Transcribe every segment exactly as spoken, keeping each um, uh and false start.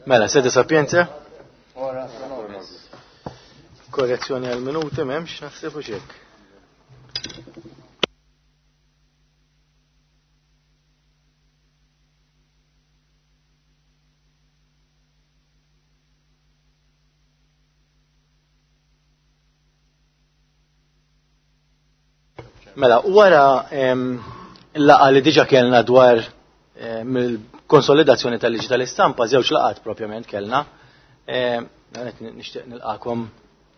Mela, sede sapienza? Korrezzjoni għal minuti m'hemmx naħseb u xek. Mela, wara l-laqa li diġa kellna dwar mill-konsolidazzjoni tal-liġi tal-istampa, żewġ laqat propjament kellna. Nixtieq nilqakom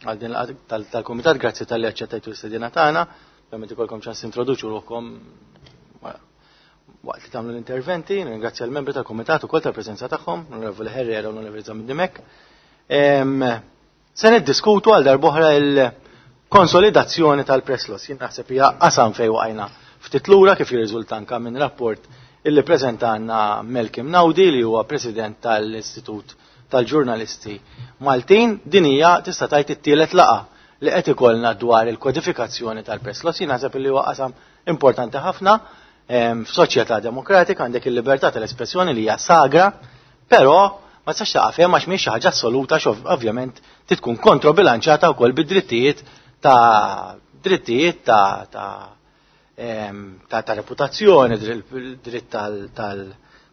għal din laqgħa tal-kumitat, grazzi talli aċċettajtu l-istedina tagħna, ovvjament ikolkom ċans introduċu ruħkom waqt li tagħmlu l-interventi, nirringrazzja l-membri tal-kumitat ukoll tal-preżenza tagħhom, l-Onorevoli Herrera u l-Onorevoli Zammit Dimech. Se niddiskutu għal darb'oħra il-konsolidazzjoni tal-press laws. Jien naħseb hija qasam fejn waqajna ftit lura kif jirriżulta anke minn rapport illi preżentanna Malcolm Naudi li huwa president tal-Istitut tal-Ġurnalisti Maltin. Din hija tista' tgħid it-tielet laqgħa li qed ikollna dwar il-kodifikazzjoni tal-press laws. Jien naħseb illi huwa qasam importanti ħafna f'soċjetà demokratika, għandek il-libertà tal-espressjoni li hija sagra, però ma tistax taqaf hemm għax mhijiex xi ħaġa assoluta, ovvjament tkun kontrobilanċata wkoll bid-drittijiet ta' drittijiet ta' ta' ta' ta' reputazzjoni, dritt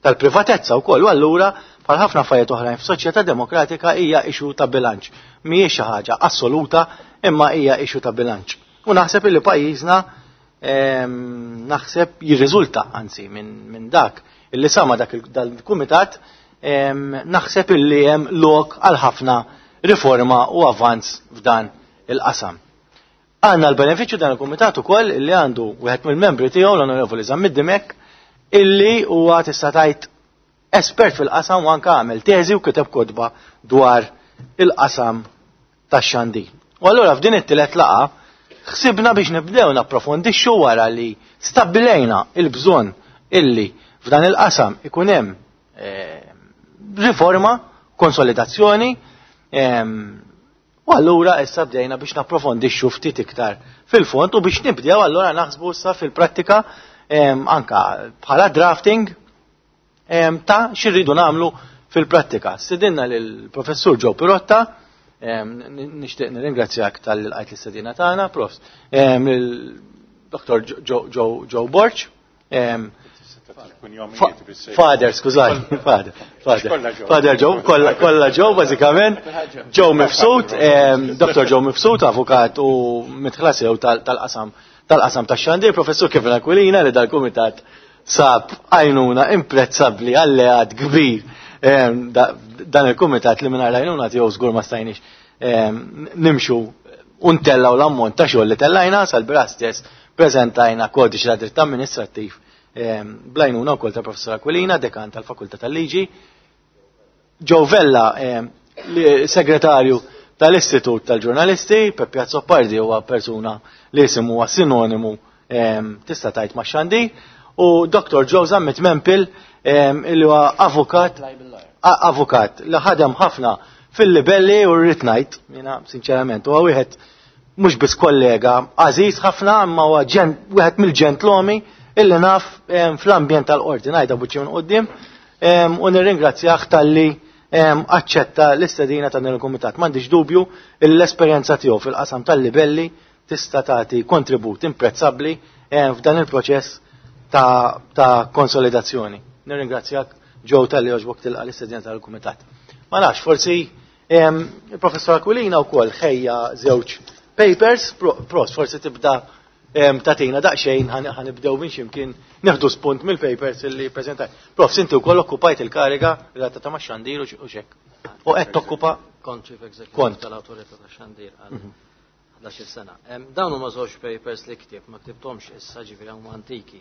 tal-privatezza wkoll. U allura bħal ħafna affarijiet oħrajn f'soċjetà demokratika hija issue ta' bilanċ. Mhijiex xi ħaġa assoluta imma hija issue ta' bilanċ. U naħseb illi pajjiżna naħseb jirriżulta anzi minn dak illi sama dak dal-kumitat, naħseb illi hemm lok għal ħafna riforma u avanz f'dan il-qasam. Għanna l-benefiċċju dan il-kumitat ukoll illi għandu wieħed mill-membri tiegħu l-Onorevoli Zammit Dimech illi huwa tista' tgħid espert fil-qasam u anke għamel teżi u kiteb kotba dwar il-qasam tax-xandir. U allura f'din it-tielet laqgħa ħsibna biex nibdew napprofondixxu wara li stabbilejna il-bżonn illi f'dan il-qasam ikun hemm riforma, konsolidazzjoni, u allura issa bdejna biex napprofondixxu ftit iktar fil-fond u biex nibdew allura naħsbu issa fil-prattika anka bħala drafting ta' xirridu nagħmlu fil-prattika. Stedinna lill-Professur Joe Pirotta, nixtieq nirringrazzjak tal-lqajt l-istedina tagħna, Profs, lil Doktor Joe Borg, Father, skużani, Father, Father, Father Joe, kollha Joe, bażikament, Joe Mifsud, Doktor Joe Mifsud, avukat u mitħlasew tal-qasam tal-qasam tax-xandir, Professur Kevin Aquilina li dal-kumitat sab għajnuna imprezzabbli, alleat kbir dan il-kumitat li mingħajr għajnuna tiegħu żgur ma stajniex nimxu u ntellaw l-ammont ta' xogħol li tellajna sal-bieraħ stess preżentajna kodiċi ta' dritt amministrattiv blajnuna wkoll ta' Professor Aquilina, dekan tal-Fakultà tal-Liġi, Joe Vella, segretarju tal-Istitut tal-Ġurnalisti, Peppi Azzopardi huwa persuna li jisimu huwa sinonimu tista' tgħid ma' xandir, u Doktor Joe Zammit Mempel illi huwa avukat, avukat li ħadem ħafna fil-libelli u rrid ngħid, jiena sinċerament, huwa wieħed mhux biss kollega għażiż ħafna, imma huwa wieħed mill-ġentlomi illi naf fl-ambjent tal-qorti, ngħidha buċċi minn quddiem, u nirringrazzjah talli aċċetta l-istedina ta' dan il-kumitat. M'għandix dubju l-esperjenza tiegħu fil-qasam tal-libelli tista' tagħti kontribut imprezzabbli f'dan il-proċess ta', ta' konsolidazzjoni. Nirringrazzjak Joe talli għoġbok tilqa' l-istedina tal-kumitat. Ma nafx, forsi il-Professor Aquilina wkoll ħejja żewġ papers, pros, forsi tibda tatina daqsxejn ħanibdew minn x'imkien nieħdu spunt mill-papers illi preżentaj. Prof, inti wkoll okkupajt il-kariga relatata ma' xandir u xek. U qed tokkupa kont Chief Executive Kont. tal-Awtorità ta' Xandir għal ħdax-il sena. Dawn huma żewġ papers li ktieb, ma ktibthomx issa, ġifieri huma antiki.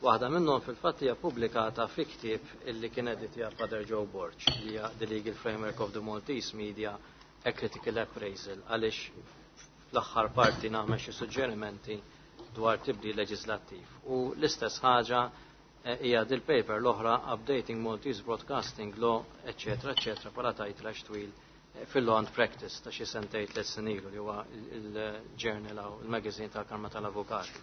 Waħda minnhom fil-fatt hija pubblikata fi ktieb illi kien editja Father Joe Borg, li hija The Legal Framework of the Maltese Media, a Critical Appraisal, għaliex fl-aħħar parti nagħmel xi suġġerimenti dwar tibdil leġislattiv. U l-istess ħaġa hija dil-paper l-oħra Updating Maltese Broadcasting Law, eccetera, eccetera, bħala title għax twil fil-Law and Practice ta' xi sentejn tliet snin ilu li huwa il-journal u il-magazine tal-Kamra tal-Avukati.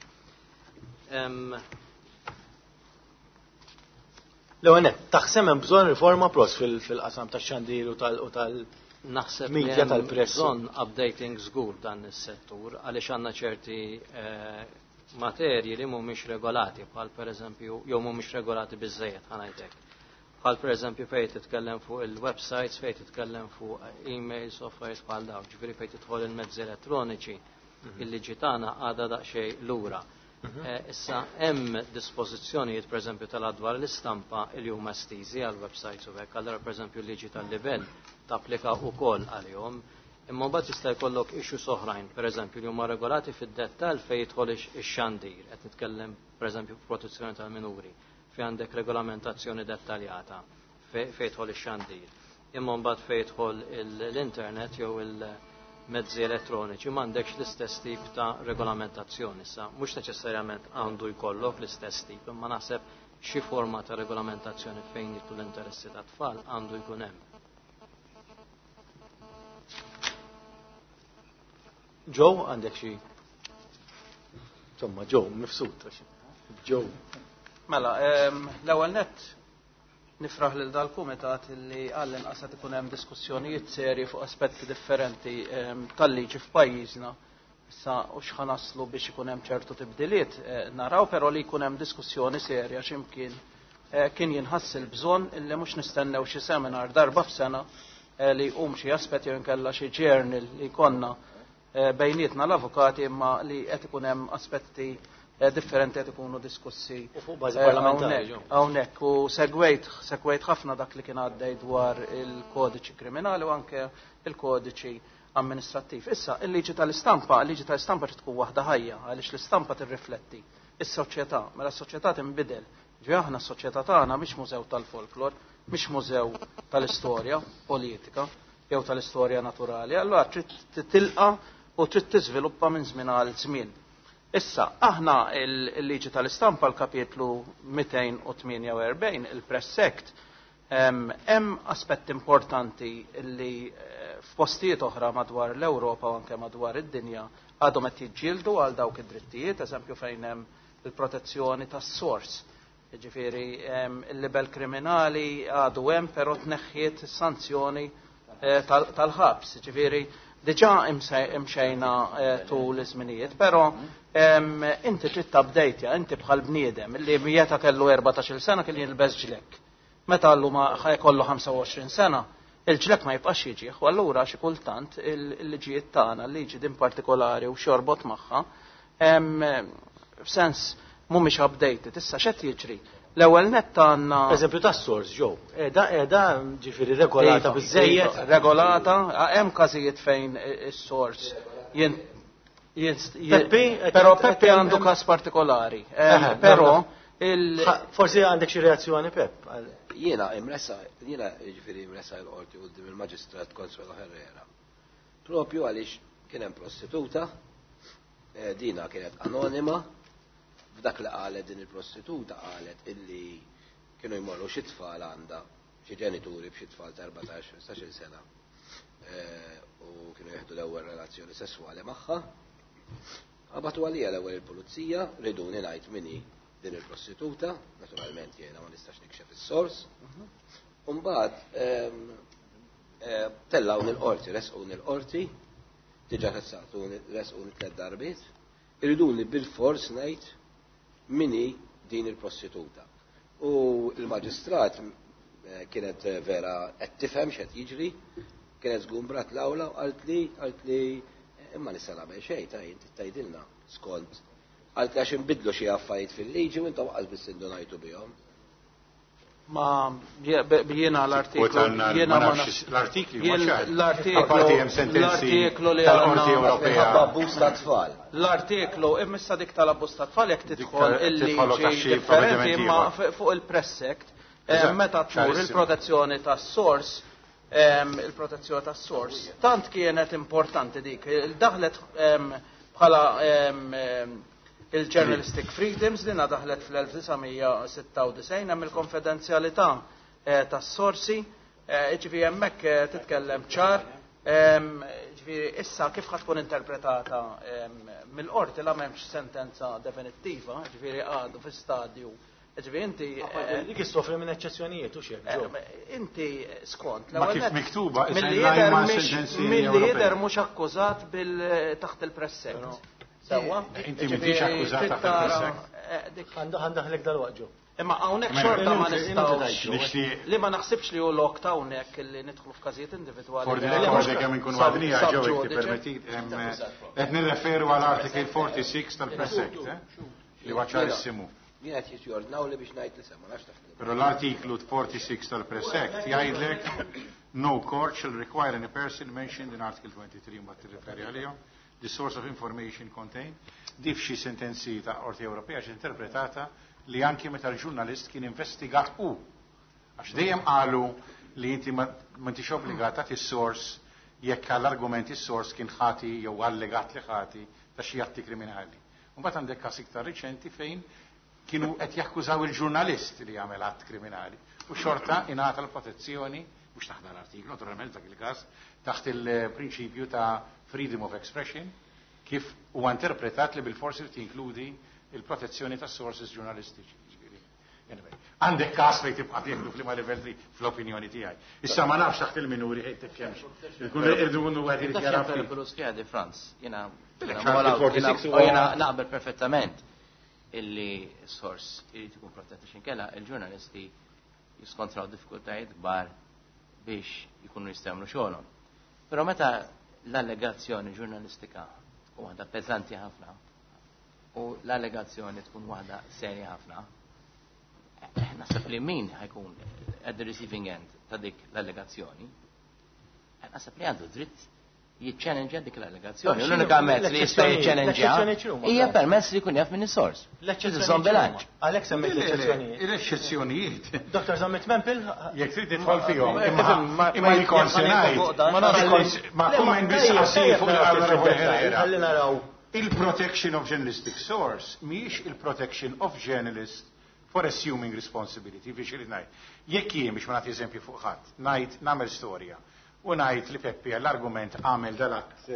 L-ewwel nett, taħseb hemm bżonn riforma pros fil-qasam tax-xandir u tal- Naħseb media tal-press. Bżonn updating żgur dan is-settur għaliex għandna ċerti eh, materji li mhumiex regolati bħal pereżempju jew mhumiex regolati biżejjed ħa ngħidlek. Bħal pereżempju fejn titkellem fuq il-websites, fejn titkellem fuq emails, softwares bħal dawn, ġifieri fejn tidħol il-mezzi elettroniċi, il-liġi tagħna għadha daqsxejn lura. Eh, Issa hemm dispożizzjonijiet pereżempju tal-adwar l-istampa li huma estiżi għal websites u hekk, allura pereżempju l-liġi tal-livell tapplika wkoll għalihom. Imma mbagħad jista' jkollok issues oħrajn, pereżempju li huma regolati fid-dettall fejn jidħol ix-xandir, qed nitkellem pereżempju protezzjoni tal-minuri, fejn għandek regolamentazzjoni dettaljata fejn jidħol ix-xandir. Imma mbagħad fejn jidħol l-internet jew il-mezzi elettroniċi m'għandekx l-istess tip ta' regolamentazzjoni. Issa mhux neċessarjament għandu jkollok l-istess tip, imma naħseb xi forma ta' regolamentazzjoni fejn jidħlu l-interessi tat-tfal għandu jkun hemm. Joe, għandek xi? Insomma, Joe, mifsud. Joe. Mela, l-ewwel nett nifraħ lil dal-kumitat li għall-inqas qed ikun hemm diskussjonijiet serji fuq aspetti differenti tal-liġi f'pajjiżna. Issa u x'ħa naslu biex ikun hemm ċertu tibdiliet naraw, però li jkun hemm diskussjoni serja x'imkien kien jinħass il-bżonn illi mhux nistennew xi seminar darba f'sena li jqum xi aspetti jew inkella xi journal li jkollna bejnietna l-avukati, imma li qed ikun hemm aspetti differenti qed ikunu diskussi U fuq bażi parlamentari. hawnhekk. U segwejt segwejt ħafna dak li kien għaddej dwar il-kodiċi kriminali u anke il-kodiċi amministrattiv. Issa, il-liġi tal-istampa, il-liġi tal-istampa trid tkun waħda ħajja, għaliex l-istampa tirrifletti is-soċjetà, mela s-soċjetà tinbidel. Ġi aħna s-soċjetà tagħna mhix mużew tal-folklor, mhix mużew tal-istorja politika jew tal-istorja naturali, allura trid titilqa u trid tiżviluppa minn żmien għal żmien. Issa, aħna il-liġi tal-istampa l-kapitlu mitejn u tmienja u erbgħin, il-Press Act, hemm aspetti importanti li f'postijiet oħra madwar l-Ewropa u anke madwar id-dinja għadhom qed jiġġieldu għal dawk id-drittijiet, eżempju fejn hemm il-protezzjoni tas-sors. Jiġifieri il-libel kriminali għadu hemm, però tneħħiet is-sanzjoni tal-ħabs. Jiġifieri diġà imxejna tul iż-żminijiet, però inti trid tabdejtja, inti bħal bniedem li meta kellu erbatax-il sena kien jilbes ġlek. Meta llum ħajkollu ħamsa u għoxrin sena, il-ġlek ma jibqax jiġih, u allura xi kultant il-liġijiet tagħna, l-liġi din partikolari u xorbot magħha, f'sens mhumiex updated. Issa x'qed jiġri? L-ewwel nett għandna Eżempju tas-sors, Joe, qiegħda qiegħda ġifieri regolata biżejjed. Regolata, hemm każijiet fejn is-sors jien Peppi, però Peppi għandu każ partikolari. Però il Forsi għandek xi reazzjoni, Pepp? Jiena imresa, jiena jiġifieri imresa l-qorti quddiem il-Maġistrat Consuelo Herrera. Propju għaliex kien hemm prostituta, dina kienet anonima, f'dak li qalet din il-prostituta qalet illi kienu jmorru xi tfal għandha, xi ġenituri b'xi tfal ta' erbatax, ħmistax-il sena, u kienu jieħdu l-ewwel relazzjoni sesswali magħha. Qabatu għalija l-ewwel il-pulizija, riduni ngħid min hi din il-prostituta, naturalment jiena ma nistax nikxef is-sors. U mbagħad tellgħu il-qorti, resquni l-qorti, diġà ressaqtuni, resquni tliet darbiet, iriduni bil-fors ngħid min hi din il-prostituta. U l-maġistrat kienet vera qed tifhem x'qed jiġri, kienet żgumbrat l-awla u qalt li, qalt li imma nista' nagħmel xejn, ta' inti tgħidilna skont. Qalt li għax inbidlu xi affarijiet fil-liġi u intom qas biss indunajtu bihom. Ma jiena l-artiklu, jiena ma nafx l-artikli ma ċar. L-artiklu, Apparti hemm sentenzi l-artiklu li tal-Qorti għandna Ewropea. Minħabba abbuż ta' tfal. L-artiklu, imma dik tal-abbuż ta' tfal jekk tidħol Dik il-liġi tidħol taxxi differenti, provvedimenti imma ieħor. fuq il-Press Act, Eżatt, meta tmur ċarissimo. il-protezzjoni tas-sors, il-protezzjoni tas-sors, tant kienet importanti dik, daħlet bħala il-journalistic freedoms dinha daħlet fl-elf disa' mija sitta u disgħin, hemm il-konfidenzjalità tas-sorsi, ġifieri hemmhekk titkellem ċar, ġifieri issa kif ħa tkun interpretata mill-qorti la m'hemmx sentenza definittiva, ġifieri għadu fi stadju Ġifieri inti Dik issofri minn eċċezzjonijiet u xejn. Inti skont Ma kif miktuba, milli jidher milli jidher mhux akkużat bil taħt il-Press Act. Sewwa? Inti m'intix akkużat taħt il-Press Act. Għandaħlek dal-waqt ġew. Imma hawnhekk xorta ma nistgħux li ma naħsibx li hu lok ta' hawnhekk li nidħlu f'każijiet individwali. For the record, kemm inkunu għadnija ġew jekk tippermettit, qed nirreferu għal Article forty-six tal-Press Act, li huwa ċarissimu. Jien qed jordnaw li biex ngħid li ma nafx taħt. Però l-artiklu forty-six tal-Press Act jgħidlek no court shall require any person mentioned in Article twenty-three mbagħad tirreferi għalihom the source of information contained. Dif xi sentenzi ta' Qorti Ewropea xi interpretata li anki meta l-ġurnalist kien investigat u. Għax dejjem qalu li inti ma intix obbligata tagħti s-source jekk għall-argument is-source kien ħati jew allegat li ħati ta' xi atti kriminali. Mbagħad għandek każ iktar riċenti fejn kienu qed jakkużaw il-ġurnalist li jagħmel att kriminali u xorta ingħata l-protezzjoni mhux taħt l-artiklu, naturalment dak il-każ, taħt il-prinċipju ta' freedom of expression kif huwa interpretat li bil-forsi tinkludi il-protezzjoni ta' sources ġurnalistiċi. Anyway, għandek każ fejn tibqa' tieħdu f'liema livell li fl-opinjoni tiegħi. Issa ma nafx taħt il-minuri ħejtek kemmx. Irdu nkunu wieħed irid jara ftit. Franz, jiena jiena naqbel perfettament illi s-sors irid ikun protett għax inkella il-ġurnalisti jiskontraw diffikultajiet kbar biex jkunu jistgħu jagħmlu xogħolhom. Però meta l-allegazzjoni ġurnalistika tkun waħda peżanti ħafna u l-allegazzjoni tkun waħda serja ħafna, naħseb li min ħajkun at the receiving end ta' dik l-allegazzjoni, naħseb li għandu dritt jiċċellenġja dik l-allegazzjoni. L-unika mezz li jista' jiċċellenġja hija permezz li jkun jaf minn is-sors. L-eċċezzjoni bilanċ. Għalhekk semmejt l-eċċezzjonijiet. Il-eċċezzjonijiet. Dottor Zammit Mempel, jekk trid tidħol fihom, imma li kont se ngħid. Ma kumment biss qasir fuq l-Onorevoli Herrera. Ħalli naraw. Il-protection of journalistic source mhijiex il-protection of journalist for assuming responsibility, biex irid ngħid. Jekk jien biex ma nagħti eżempju fuq ħadd, ngħid nagħmel storja u ngħid li Peppi għall-argument għamel dal-att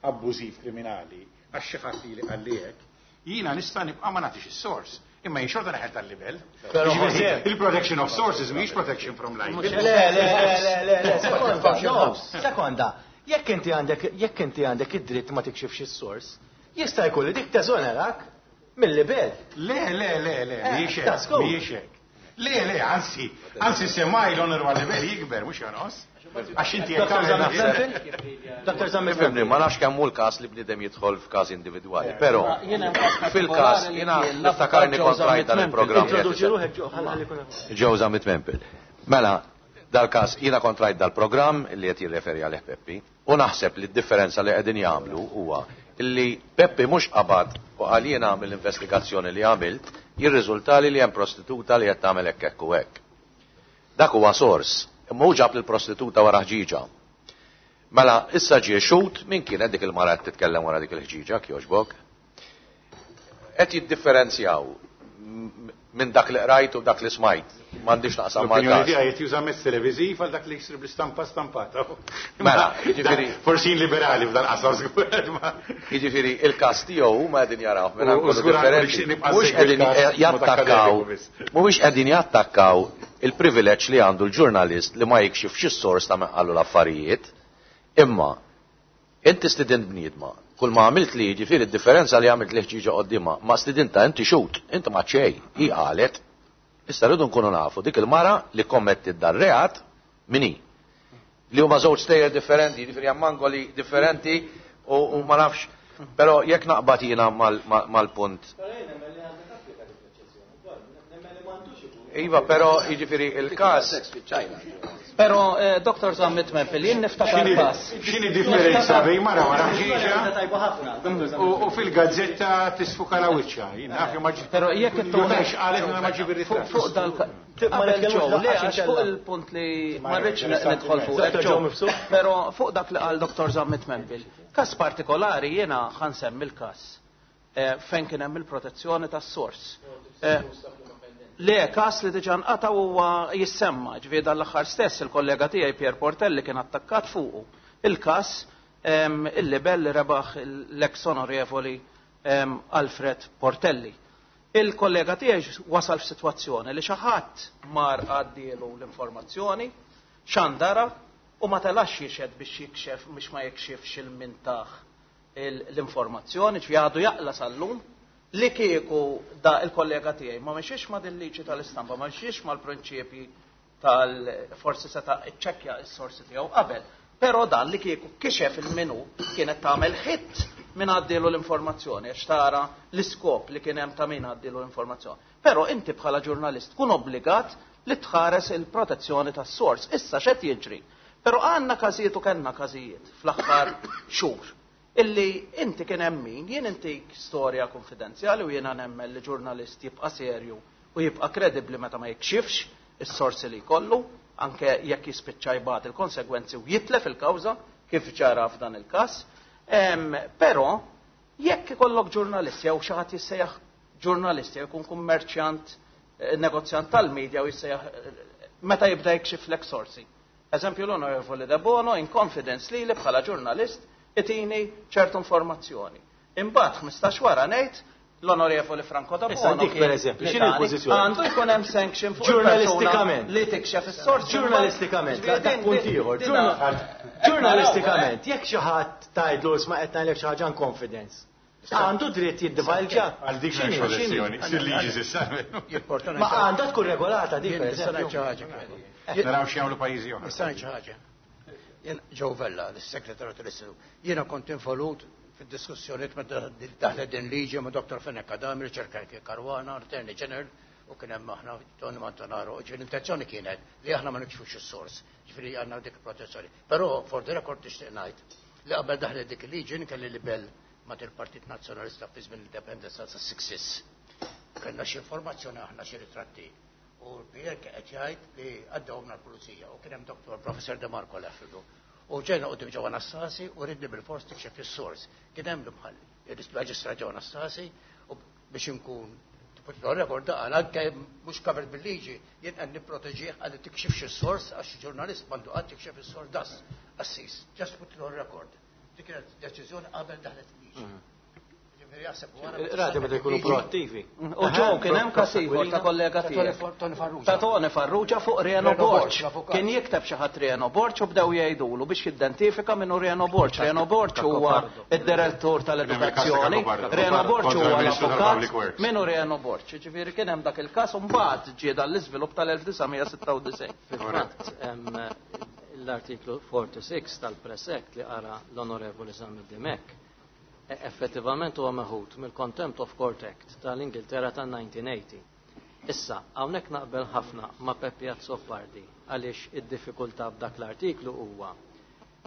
abbużiv kriminali għax xi ħadd li qalli hekk, jiena nista' nibqa' ma nagħtix is-source. Imma jien xorta neħel tal-livell. Il-protection of sources mhijiex protection from libel. Le, le, le, le, le, sekonda, sekonda. Jekk inti għandek jekk inti għandek id-dritt ma tikxifx is-source, jista' jkun li dik teżonerak mill-libel. Le, le, le, le, mhijiex hekk, mhijiex hekk. Le, le, anzi, anzi semmaj l-onorevoli libel jikber, mhux jonqos. Għax inti jekk Dottor Zammit Fimni, ma nafx kemm hu l-każ li bniedem jidħol f'każ individwali, però fil-każ jiena niftakarni kontrajt dan il-programm. Introduċi ruħek ġo, ħalli jkun Joe Zammit Mempel. Mela, dal-każ jiena kontrajt dal-programm li qed jirreferi għalih Peppi u naħseb li d-differenza li qegħdin jagħmlu huwa li Peppi mhux qabad u qal jiena mill-investigazzjoni li għamilt jirriżultali li hemm prostituta li qed tagħmel hekk hekk u hekk. Dak huwa sors. Imma hu ġab lill-prostituta wara ħġiġa. Mela, issa ġie xhud min kienet dik il-mara qed titkellem wara dik il-ħġiġa, kjoġbok. Qed jiddifferenzjaw minn dak li qrajt u dak li smajt. M'għandix naqsam mal-każ. L-opinjoni tiegħi qed juża mezz televiżiv għal dak li jsir bl-istampa stampata. Mela, jiġifieri forsi liberali f'dan qasam żgur. Jiġifieri il-każ tiegħu huma qegħdin jaraw minn angolu differenti. Mhux qegħdin jattakkaw, mhumiex qegħdin jattakkaw il-privileġġ li għandu l-ġurnalist li ma jikxifx is-sors ta' min qallu l-affarijiet, imma inti stidint bniedma. Kull ma għamilt li jiġifieri d-differenza li għamilt li ħġiġa qoddimha, ma stidinta inti xut, inti ma xejn, hi qalet. Issa rridu nkunu nafu dik il-mara li kommettit dar reat min hi. Li huma żewġ stejjer differenti, jiġifieri hemm angoli differenti u ma nafx, però jekk naqbad jiena mal-punt. Iva, però jiġifieri il-każ. Però Dottor Zammit Mempel, jien niftakar każ. X'inhi differenza bejn mara wara ħġiġa u fil-gazzetta tisfuka la wiċċa. Jien naf ma Però jekk intu qalet ma ġib ir-ritratt. Fuq dal qabel ġew, le għax fuq il-punt li ma rridx nidħol fuq. Però fuq dak li qal Dottor Zammit Mempel. Każ partikolari jiena ħansemmi l-każ fejn kien hemm il-protezzjoni tas-sors. Le, kas li diġà nqata' huwa jissemma, ġifieri dan l-aħħar stess il-kollega tiegħi Pier Portelli kien attakkat fuqu. Il-każ il-libel li rebaħ l-ex onorevoli Alfred Portelli. Il-kollega tiegħi wasal f'sitwazzjoni li xi ħadd mar għaddielu l-informazzjoni, xandara u ma telax jixhed biex jikxef biex ma jikxifx il-mintaħ l-informazzjoni, ġifieri għadu jaqla sal-lum li kieku da il-kollega tiegħi ma mexiex ma din liġi tal-istampa, ma mexiex mal-prinċipji tal-forsi seta' iċċekkja s-sorsi tiegħu qabel. Però dan li kieku kixef il-minu kienet tagħmel ħitt min għaddielu l-informazzjoni, għax tara l-iskop li kien hemm ta' min għaddielu l-informazzjoni. Però inti bħala ġurnalist tkun obbligat li tħares il-protezzjoni tas-sors. Issa x'qed jiġri? Però għandna każijiet u kellna każijiet fl-aħħar xhur illi inti kien hemm min, jien intik storja konfidenzjali u jiena nemmen li ġurnalist jibqa' serju u jibqa' kredibbli meta ma jikxifx is-sorsi li jkollu, anke jekk jispiċċa jbagħat il-konsegwenzi u jitlef il-kawża kif ġara f'dan il-każ. Però jekk ikollok ġurnalist jew xi ħadd jissejjaħ ġurnalist jew jkun kummerċjant, negozjant tal-medja u jissejjaħ meta jibda jikxiflek sorsi. Eżempju l-Onorevoli De Bono in confidence li li bħala ġurnalist itini ċertu informazzjoni. Imbagħad ħmistax wara ngħid l-Onorevoli Franco Da Issa Bono dik per eżempju, x'inhi l-pożizzjoni? Għandu jkun hemm sanction fuq Ġurnalistikament. li tikxef is-sorsi. Ġurnalistikament, Ġifieri dak din- punt din- ieħor. din- Ġurnalistikament, jekk xi ħadd tgħidlu isma' qed ngħidlek xi ħaġa in confidence. Għandu dritt jiddivalġa. Għal dik X'inhi, m'hemmx x'inhi? elezzjoni, sir liġi s'issa. Ma għandha tkun regolata dik per eżempju. Naraw x'jagħmlu pajjiżi oħra. Nista' ngħid xi ħaġa. Jien Joe Vella, l-segretarju tal-Istitut, jiena kont involut fid-diskussjonijiet meta daħlet din liġi ma' Dottor Fenech Adami, Richard Caruana, Attorney General, u kien hemm aħna Tony Montanaro. Ġifieri l-intenzjoni kienet li aħna ma nikxfux is-sors, ġifieri għandna dik il-protezzjoni. Però for the record nixtieq ngħid li qabel daħlet dik il-liġi jien kelli libel ma' il-Partit Nazzjonalista fi żmien l-Indipendenza sa' sixties. Kellna xi informazzjoni aħna xi ritratti. U l-P N qed jgħid li għaddewhom l-pulizija u kien hemm Doktor Professor De Marco Leffidu. U ġejna quddiem Joe Anastasi u ridni bil-fors tikxef is-sors. Kien hemm l-imħalli, il-Maġistrat Joe Anastasi, u biex inkun record daqal anke mhux covered bil-liġi, jien qed nipproteġih għal tikxifx is-sors għax ġurnalist m'għandu qatt tikxef is-sors das assis. Just put it on record. Dik kienet deċiżjoni qabel daħlet il-liġi. Ġifieri jaħseb wara. Rati meta jkunu proattivi. U ġew kien hemm każ ieħor ta' kollega tiegħek. Tony Farrugia. Ta' Tony Farrugia fuq Reno Reno Borg, Borg. l-avukat. Kien jikteb xi ħadd Reno Borg u bdew jgħidulu biex jidentifika minnu Reno Borg. Reno Borg huwa id-direttur tal-edukazzjoni. Reno Borg Kontra huwa il-Ministru tal-Public l-avukat Works. minnu Reno Borg. Ġifieri kien hemm dak il-każ u mbagħad ġie dan l-iżvilupp tal-elf disa' mija sitta u disgħin. Fil-fatt, em, l-artiklu sitta u erbgħin tal-Press Act li qara l-Onorevoli Zammit Dimech e- effettivament huwa meħud mill-Contempt of Court Act tal-Ingilterra tan-elf disa' mija tmenin. Issa, hawnhekk naqbel ħafna ma' Peppi Azzopardi għaliex id-diffikultà b'dak l-artiklu huwa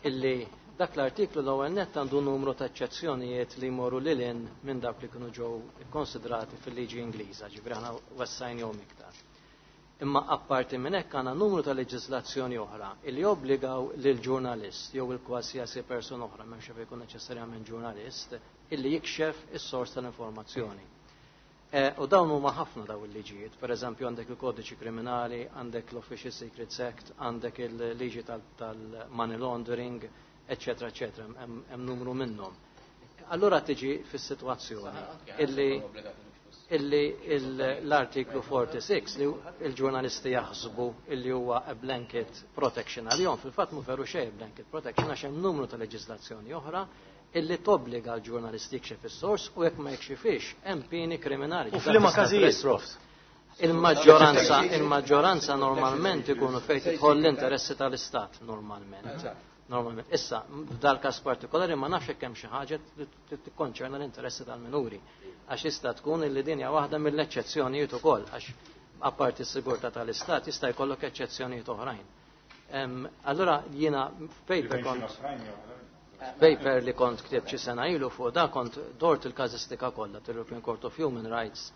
illi dak l-artiklu l-ewwel nett għandu numru ta' eċċezzjonijiet li jmorru lil hinn minn dawk li kienu ġew ikkonsidrati fil-liġi Ingliża, ġifieri aħna wessajnihom iktar. Imma apparti minn hekk għandna numru ta' leġiżlazzjoni oħra illi obbligaw lil ġurnalist jew il kwalsiasi persuna oħra, m'hemmx fejn jkun neċessarjament ġurnalist, illi jikxef is-sors tal-informazzjoni. E, u dawn huma ħafna daw il-liġijiet, per eżempju għandek il-kodiċi kriminali, għandek l-Official Secrets Act, għandek il-liġi tal-money laundering, eccetera, eccetera, hemm hemm numru minnhom. Allura tiġi fis-sitwazzjoni illi illi l-artiklu sitta u erbgħin li il-ġurnalisti jaħsbu illi huwa a blanket protection għalihom, fil-fatt mu veru xejn blanket protection għax hemm numru ta' leġiżlazzjoni oħra illi tobbliga l-ġurnalisti jikxef is-sors u jekk ma jikxifix hemm pieni kriminali. U f'liema każijiet, Prof? Il-maġġoranza il-maġġoranza normalment ikunu fejn tidħol l-interessi tal-Istat normalment. Normalment. Issa, f'dal każ partikolari ma nafx hekk hemm xi ħaġa li tikkonċerna l-interessi tal-minuri. Għax jista' tkun illi din hija waħda mill-eċċezzjonijiet ukoll, għax apparti s-sigurtà tal-Istat jista' jkollok eċċezzjonijiet oħrajn. Allura jiena f'paper kont paper li kont ktibt xi sena ilu fuq da kont dort il-każistika kollha tal-European Court of Human Rights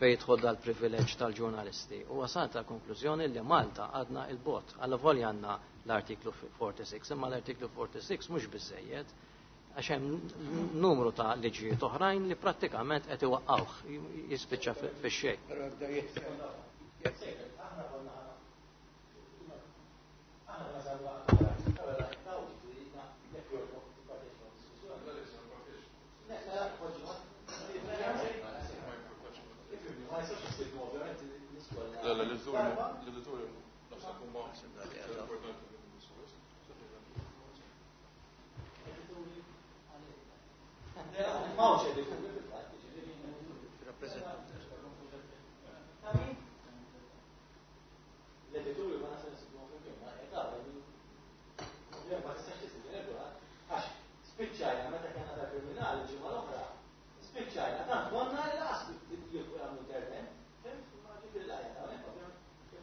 fejn jidħol dal-privileġġ tal-ġurnalisti. U wasalt ta' konklużjoni li Malta għadna il-bot. Alla volja għandna l-artiklu sitta u erbgħin, imma l-artiklu sitta u erbgħin mhux biżejjed għax hemm numru ta' liġijiet oħrajn li prattikament qed iwaqqawh jispiċċa fix-xejn.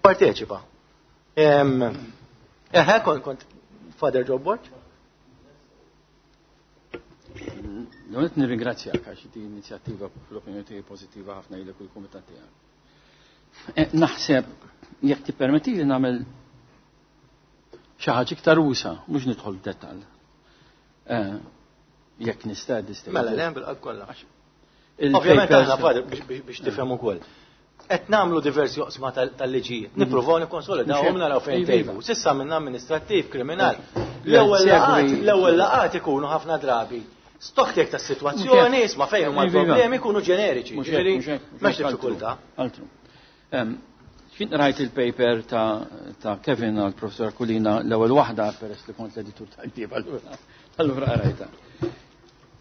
Tipparteċipa. Eħe, kont kont Father Joe Borg. L-għonet nirringrazzjak għax di inizjattiva fl-opinjoni tiegħi pożittiva ħafna ilek u l-kumitat tiegħek. Naħseb jekk tippermetti li nagħmel xi ħaġa iktar usa, mhux nidħol f'dettall. Jekk nista' distej. Mela, le bil-qalb kollha. Ovvjament aħna Father biex tifhem ukoll. Qed nagħmlu diversi oqsma tal-liġijiet. Nippruvaw nikkonsolidawhom naraw fejn tejbu. S'issa minna amministrattiv, kriminal. L-ewwel laqat, l-ewwel laqat ikunu ħafna drabi. Stock take tas-sitwazzjoni, isma' fejn huma l-problemi jkunu ġeneriċi. Ġifieri m'hemmx diffikultà. Altru. Kien rajt il-paper ta' Kevin għal professor Kulina l-ewwel waħda peress li kont l-editur tal-ktieb allura allura qrajtha.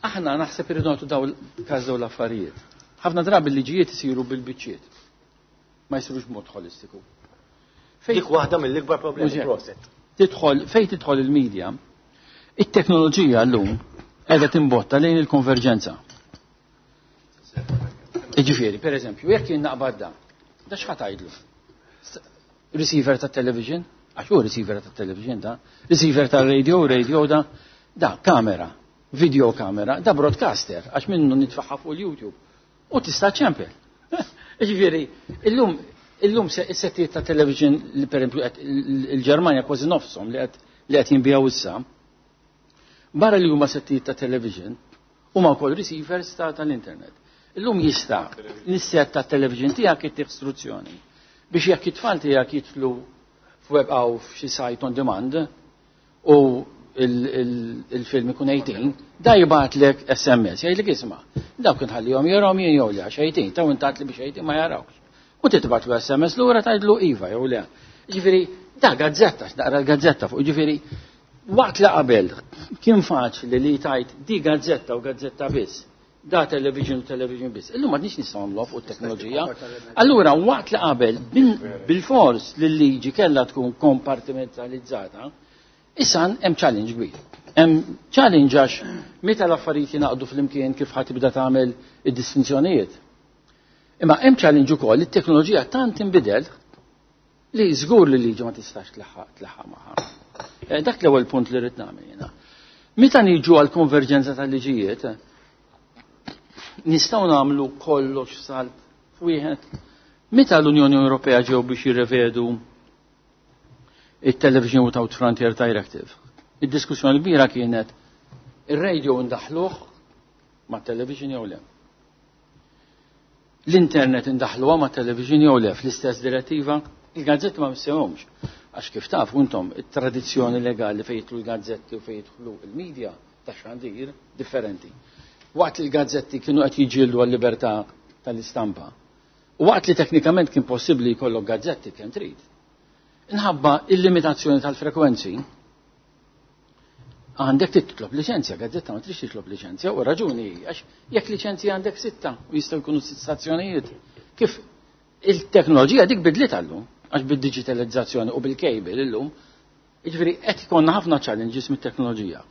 Aħna naħseb irridu nagħtu daw każ daw l-affarijiet. Ħafna drabi l-liġijiet isiru bil-biċċiet. Ma jsirux b'mod ħolistiku. Dik waħda mill-ikbar problemi proset. Tidħol fejn tidħol il-medja, it-teknoloġija llum qiegħda timbotta lejn il-konverġenza. Jiġifieri, per eżempju, jekk jien naqbad da, da x'ħa tgħidlu? Receiver ta' television, għax hu receiver ta' television da, receiver ta' radio, radio da, da kamera, video kamera, da broadcaster, għax minnu nitfaħħa fuq il-YouTube. U tista' ċempel. Ġifieri, illum illum is-settijiet ta' television li per esempio il-Ġermanja kważi nofshom li qed li qed jinbijaw issa. Barra li huma settijiet ta' television, huma wkoll receivers ta' tal-internet. Illum jista' l-set ta' television tiegħek ittih istruzzjoni biex jekk it-tfal tiegħek jidħlu f'web aw f'xi site on demand u il-film ikun eighteen, da jibgħatlek S M S, jgħidlek isma' dawk inħallihom jarahom jien jew le għax eighteen, taw intat li biex eighteen ma jarawx. U titbagħtlu S M S lura tgħidlu iva jew le. Ġifieri da gazzetta, naqra l-gazzetta fuq, ġifieri waqt li qabel kien faċli li tajt di gazzetta u gazzetta biss, da television u television biss. Illum m'għadniex nistgħu nagħmluha fuq it-teknoloġija. Allura waqt li qabel bil-fors li l-liġi kellha tkun kompartimentalizzata, issa hemm challenge kbir. Hemm challenge għax meta l-affarijiet jingħaqdu flimkien kif ħadd tibda tagħmel id-distinzjonijiet. Imma hemm challenge ukoll it-teknoloġija tant inbidel li żgur li l-liġi ma tistax tlaħħaq tlaħħaq magħha. Dak l-ewwel punt li rrid nagħmel jiena. Meta niġu għall konverġenza tal-liġijiet, nistgħu nagħmlu kollox salt f'wieħed. Meta l-Unjoni Ewropea ġew biex jirrevedu it-Television Without Frontier Directive, id-diskussjoni kbira kienet ir-radio ndaħluh ma' television jew le. L-internet indaħluha ma' television jew le fl-istess direttiva, il-gazzetti ma missewhomx. Għax kif taf intom it-tradizzjoni legali fejn jidħlu l-gazzetti u fejn jidħlu il-medja ta' xandir differenti. Waqt li l-gazzetti kienu qed jiġġieldu għal-libertà tal-istampa, u waqt li teknikament kien possibbli jkollok gazzetti kemm trid. Inħabba il-limitazzjoni tal-frekwenzi, għandek titlob liċenzja, gazzetta ma trix titlob liċenzja, u raġuni għax jekk liċenzja għandek sitta u jistgħu jkunu sitt stazzjonijiet. Kif il-teknoloġija dik bidliet għallum, għax bid-digitalizzazzjoni u bil-cable illum, jiġifieri qed ikollna ħafna challenges mit-teknoloġija.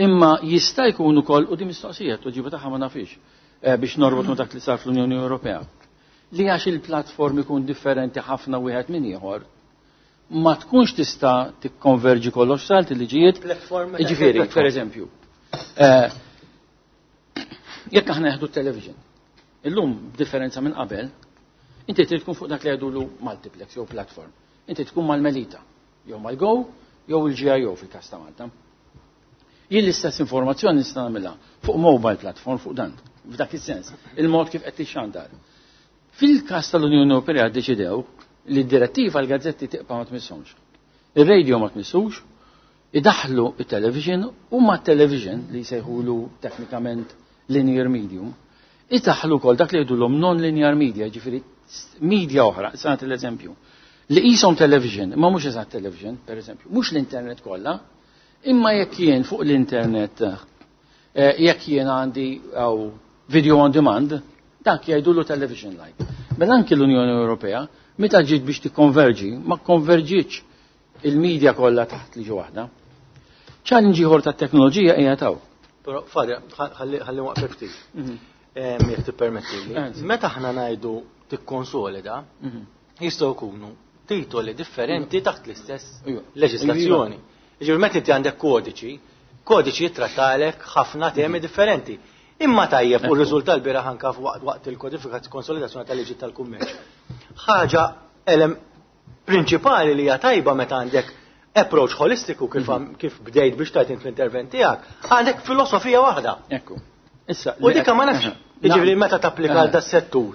Imma jista' jkun ukoll, u di mistoqsija, t-tweġiba tagħha ma nafix, biex norbot ma' dak li sar fl-Unjoni Ewropea, li għax il-platform ikun differenti ħafna wieħed minn ieħor, ma tkunx tista' tikkonverġi kollox salt il-liġijiet. Platform, Jiġifieri, platform. per eżempju, eh, jekk aħna neħdu t-television, illum b'differenza minn qabel, inti trid tkun fuq dak li jgħidulu multiplex jew platform. Inti tkun mal-Melita, jew mal-Go, jew il-G I O fil-każ ta' Malta. Jien l-istess informazzjoni nista' nagħmilha fuq mobile platform fuq dan, f'dak is-sens, il-mod kif qed tixxandar. Fil-każ tal-Unjoni Ewropea ddeċidew li d-direttiva l-gazzetti tibqa' ma tmisshomx. Ir-radio ma tmissux, idaħlu it-television u ma television li jsejħulu teknikament linear medium, idaħlu wkoll dak li jgħidulhom non-linear media, ġifieri media oħra, sa nagħti l-eżempju, li qishom television, imma mhux eżatt television, per eżempju, mhux l-internet kollha, imma jekk jien fuq l-internet, eh, jekk jien għandi aw video on demand, dak jgħidulu television like. Mela anki l-Unjoni Ewropea, meta ġiet biex tikkonverġi, ma konverġietx il-media kollha taħt liġi waħda. Challenge ieħor tat-teknoloġija hija taw. Però Fadja, ħalli, ħalli waqfek ftit. Mhm. Ehm, jekk tippermettili. Anzi. Meta aħna ngħidu tikkonsolida, Mhm. jistgħu jkunu titoli differenti taħt l-istess leġislazzjoni. Jiġifieri meta inti għandek kodiċi, kodiċi jittrattalek ħafna temi differenti. Imma tajjeb u r-riżultat l-bieraħ anke waqt il-kodifika konsolidazzjoni tal-liġi tal-kummerċ. Ħaġa prinċipali li hija tajba meta għandek approach holistiku kif, kif bdejt biex tajt fl-intervent tiegħek, għandek filosofija waħda. Ekku. Issa, U dika ma nafx, jiġifieri meta tapplika għal das-settur.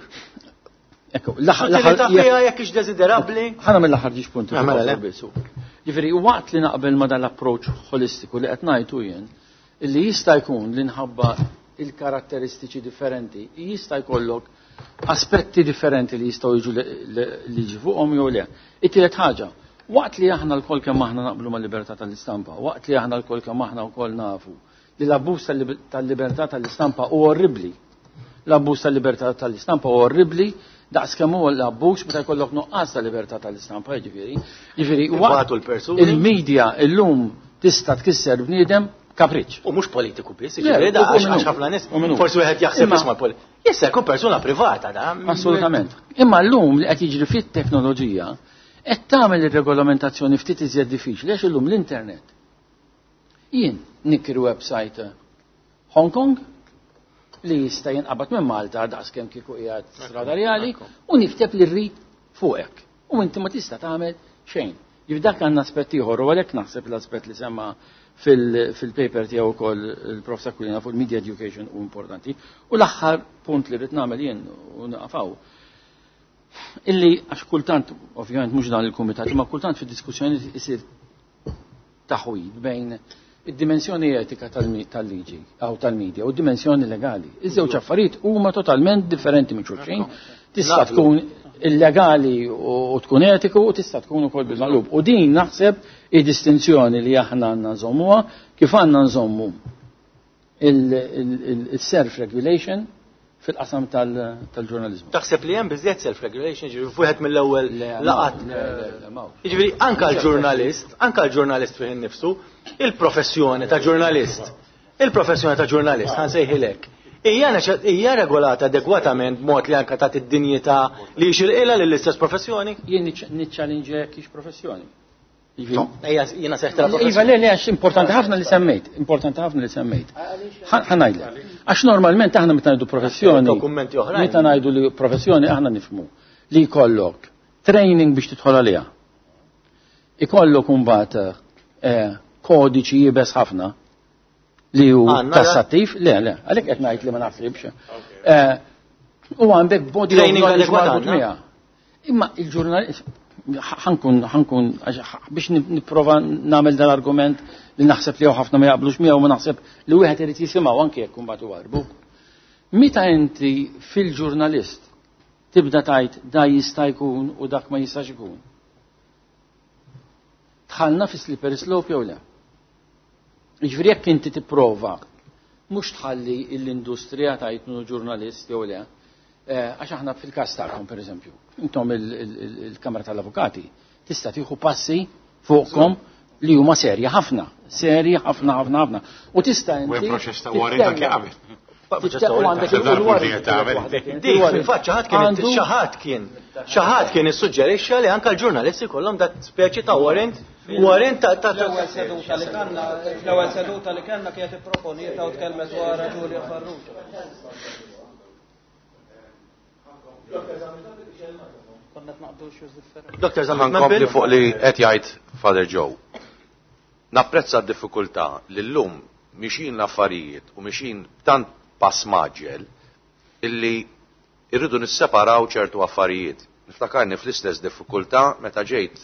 Ekku, l-aħħar jekk hix desiderabbli. Ħana mill-aħħar ġiex punti. Jiġifieri waqt li naqbel ma dan l-approach holistiku li qed ngħidu jien, illi jista' jkun li nħabba il-karatteristiċi differenti, jista' jkollok aspetti differenti li jistgħu jiġu liġi fuqhom jew le. It-tielet ħaġa, waqt li aħna lkoll kemm aħna naqblu mal-libertà tal-istampa, waqt li aħna lkoll kemm aħna wkoll nafu li l-abbuż tal-libertà tal-istampa huwa orribbli. L-abbuż tal-libertà tal-istampa huwa orribbli daqs kemm huwa l-abbuż meta jkollok nuqqas tal-libertà tal-istampa, jiġifieri. Jiġifieri il-medja illum tista' tkisser bniedem kapriċ. U mhux politiku biss, jiġifieri da għax ħafna nies forsi wieħed jaħseb isma' politiku. Jista' jkun persuna privata da. Assolutament. Imma llum li qed jiġri fit-teknoloġija qed tagħmel ir-regolamentazzjoni ftit iżjed diffiċli għax illum l-internet. Jien nikri website Hong Kong li jista' jinqabad minn Malta daqs kemm kieku qiegħed strada reali u nikteb li rrid fuqek. U inti ma tista' tagħmel xejn. Jif dak għandna aspett ieħor u għalhekk naħseb l-aspett li semma fil-paper tiegħu wkoll il-Prof Aquilina fuq il-media education u importanti. U l-aħħar punt li rrid nagħmel jien u naqafaw. Illi għax kultant, ovvjament mhux dan il-kumitat, imma kultant fid-diskussjoni isir taħwid bejn id-dimensjoni etika tal-liġi aw tal-media u d-dimensjoni legali. Iż-żewġ affarijiet huma totalment differenti minn xulxin. Tista' tkun illegali u tkun etiku u tista' tkun ukoll bil-maqlub. U din naħseb id-distinzjoni li aħna għandna nżommuha kif għandna nżommu il-self-regulation fil-qasam tal-ġurnalizmu. Taħseb li hemm biżjed self-regulation, ġifieri wieħed mill-ewwel laqat. Jiġifieri anke l-ġurnalist, anke l-ġurnalist fih innifsu, il-professjoni ta' ġurnalist, il-professjoni ta' ġurnalist, ħansejħilek. Hija regolata adegwatament b'mod li anke tagħti id-dinjità li jixirqilha lill-istess professjoni? Jien niċċallinġa jekk hix professjoni. Jiena seħtra professjoni. Iva, le, le, għax importanti ħafna li semmejt, importanti ħafna li semmejt. Ħa ngħidlek. Għax normalment aħna meta ngħidu professjoni, dokumenti oħrajn. Meta ngħidu li professjoni aħna nifhmu li jkollok training biex tidħol għaliha. Ikollok imbagħad kodiċi jibes ħafna li hu tassattiv, le, le, għalhekk qed ngħid li ma naħsibx. U għandek body training marbut miegħha. Imma il-ġurnalist ħankun ħankun biex nipprova nagħmel dan-argument li naħseb li ħafna ma jaqblux miegħu ma naħseb li wieħed irid jisimgħu anke jekk imbagħad iwarbu. Meta inti fil-ġurnalist tibda tgħid da jista' jkun u dak ma jistax ikun. Tħallna fi slippery slope jew le? Jiġifieri jekk inti tipprova mhux tħalli l-industrija tgħid minnu ġurnalist jew le, għax aħna fil-każ tagħkom pereżempju, intom il-Kamra tal-Avukati tista' tieħu passi fuqkom li huma serji ħafna, serji ħafna ħafna ħafna. U tista' inti. U hemm proċess ta' warrant anke qabel. Dik fil-fatt xi ħadd kien xi ħadd kien xi ħadd kien issuġġerixxa li anke l-ġurnalisti kollhom dak speċi ta' warrant warrant ta' l-ewwel seduta li kellna l-ewwel seduta li kellna kienet ipproponieta u tkellmet dwar Giulia Farrugia. Doktor Zammit, nkompli fuq li qed jgħid Father Joe. Napprezza d-diffikultà li llum mixin l-affarijiet u mixin tant pass maġġel illi irridu nisseparaw ċertu affarijiet. Niftakarni fl-istess diffikultà meta ġejt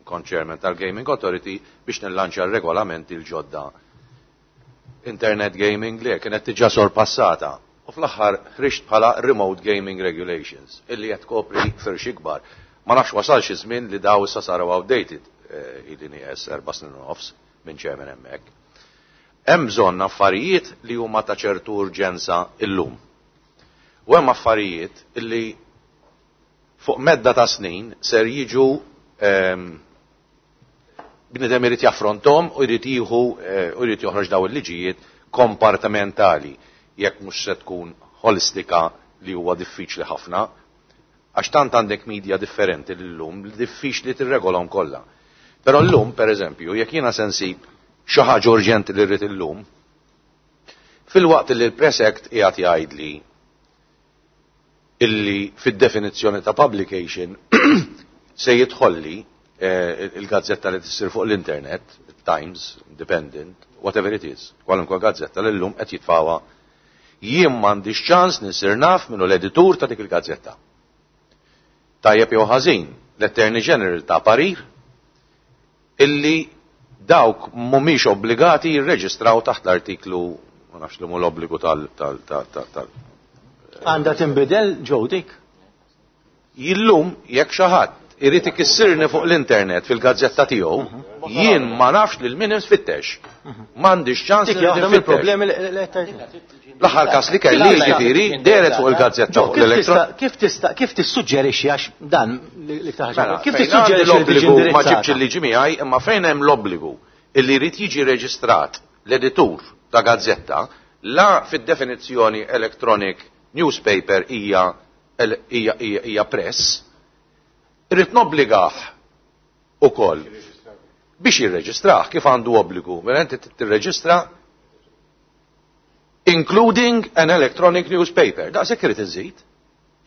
kont chairman tal-Gaming Authority biex nillanċa r-regolamenti l-ġodda. Internet gaming li kienet diġà sorpassata. U fl-aħħar ħriġt bħala Remote Gaming Regulations, illi qed tkopri firx ikbar. Ma nafx wasal xi żmien li daw issa saru outdated, ili nieqes erba' snin u nofs minn chairman hemmhekk. Hemm bżonn affarijiet li huma ta' ċertu urġenza illum. U hemm affarijiet illi fuq medda ta' snin ser jiġu bniedem irid jaffronthom u jrid jieħu u jrid joħroġ daw il-liġijiet kompartimentali. Jekk mhux se tkun holistika li huwa diffiċli ħafna, Għax tant għandek media differenti llum li diffiċli tirregolahom kollha. Però llum, pereżempju, jekk jiena se nsib xi ħaġa urġenti li rrid illum, filwaqt li l-Press Act qiegħed jgħidli illi fid-definizzjoni ta' publication se jidħolli eh, il-gazzetta li tissir fuq l-internet, Times, Independent, whatever it is, kwalunkwe gazzetta li llum qed jitfawha, jien m'għandix ċans nisir naf minnu l-editur ta' dik il-gazzetta. Tajjeb jew ħażin, l-Attorney General ta' parir illi dawk mhumiex obbligati jirreġistraw taħt l-artiklu, ma nafx li mhu l-obbligu tal tal tal tal. Għandha tinbidel ġew dik? Illum jekk xi ħadd irid ikissirni fuq l-internet fil-gazzetta tiegħu, jien ma nafx lil min infittex. M'għandix ċans li nfittex. L-aħħar każ li kelli jiġifieri dehret fuq il-gazzetta fuq l-elettron. Kif tista' kif tissuġġerixxi għax dan l-iktar ħaġa. Kif tissuġġerixxi l-obbligu ma ġibx il-liġi miegħi, imma fejn hemm l-obbligu illi jrid jiġi reġistrat l-editur ta' gazzetta, la fid-definizzjoni electronic newspaper hija hija hija press, irrid nobbligah ukoll biex jirreġistrah kif għandu obbligu. Mela inti tirreġistra including an electronic newspaper. Daqshekk irid inżid.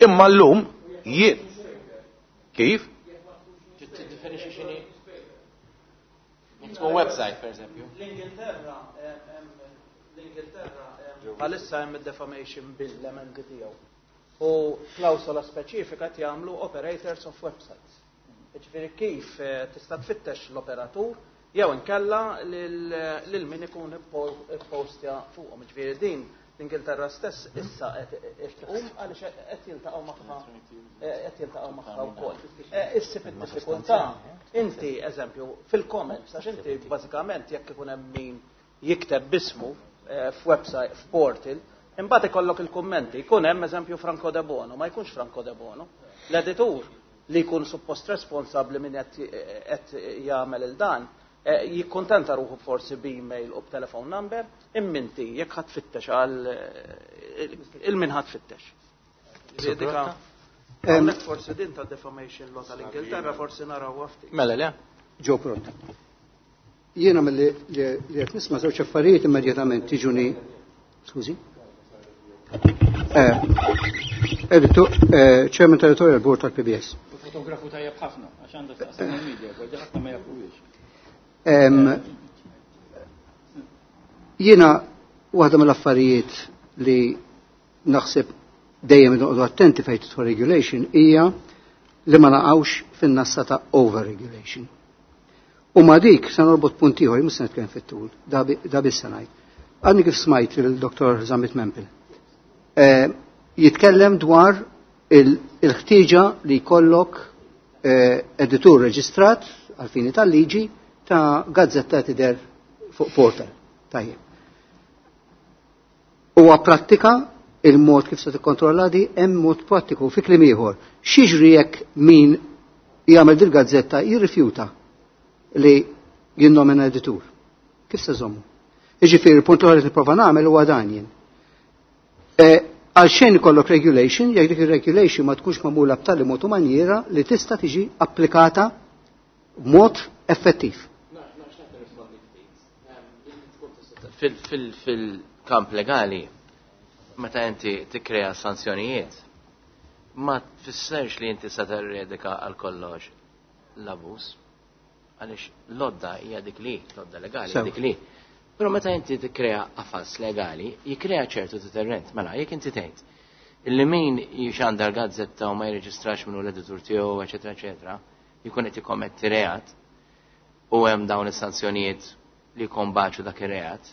Imma llum jien kif? Tkun website, per eżempju. L-Ingilterra, l-Ingilterra bħalissa hemm id-defamation bill l-emendi tiegħu. U klawsola speċifika qed jagħmlu operators of websites. Jiġifieri kif tista' tfittex l-operatur jew inkella lil min ikun ippostja fuqhom. Jiġifieri din l-Ingilterra stess issa qed tqum għaliex qed jiltaqgħu magħha qed jiltaqgħu magħha wkoll. Issib id-diffikultà inti eżempju fil-comments għax inti bażikament jekk ikun hemm min jikteb bismu f'website f'portal, imbagħad ikollok il-kummenti, jkun hemm eżempju Franco De Bono, ma jkunx Franco De Bono. L-editur li jkun suppost responsabbli min qed jagħmel il dan, jikkontenta ruħu forsi b'email u b'telefon number, imminti jekk ħadd tfittex għal il-min ħadd tfittex. Hawnhekk forsi din ta' defamation law tal-Ingilterra forsi naraw ftit. Mela le? Ġew pronta. Jiena milli li qed nisma' żewġ affarijiet immedjatament tiġuni. Skużi? Editu, Chairman Territorial Board tal-P B S. Fotografu tajjeb ħafna, għax għandha taqsam il-media, għal ħafna ma jafuhiex. Jiena waħda mill-affarijiet li naħseb dejjem noqogħdu attenti fejn tidħol regulation hija li ma naqgħux fin-nassa ta' overregulation. U ma dik se norbot punt ieħor, mhux se nitkellem fit-tul, da biss se ngħid. Għadni kif smajt il-Doktor Zammit Mempel jitkellem dwar il-ħtieġa li jkollok editur reġistrat għal fini tal-liġi ta' gazzetta tidher fuq portal. Tajjeb. Huwa prattika il-mod kif se tikkontrolla di hemm mod prattiku fi kliem ieħor. X'jiġri jekk min jagħmel dil-gazzetta jirrifjuta li jinnomina editur? Kif se żommu? Jiġifieri il-punt l-ħaġa li nipprova nagħmel huwa dan jien. Għal xejn ikollok regulation, jekk dik ir-regulation ma tkunx magħmula b'tali mod u manjiera li tista' tiġi applikata b'mod effettiv. Fil-kamp legali, meta inti tikkrea sanzjonijiet, ma tfissirx li inti se terredika għal kollox l-abbuż, għaliex l-odda hija dik li, l-odda legali hija dik li. Però meta inti tikkrea qafas legali, jikkrea ċertu deterrent. Mela, jekk inti tgħid illi min jixandar gazzetta u ma jirreġistrax minnu l-editur tiegħu, eċetera, eċetera, jkun qed jikkommetti reat u hemm dawn is-sanzjonijiet li jkombaċu dak ir-reat,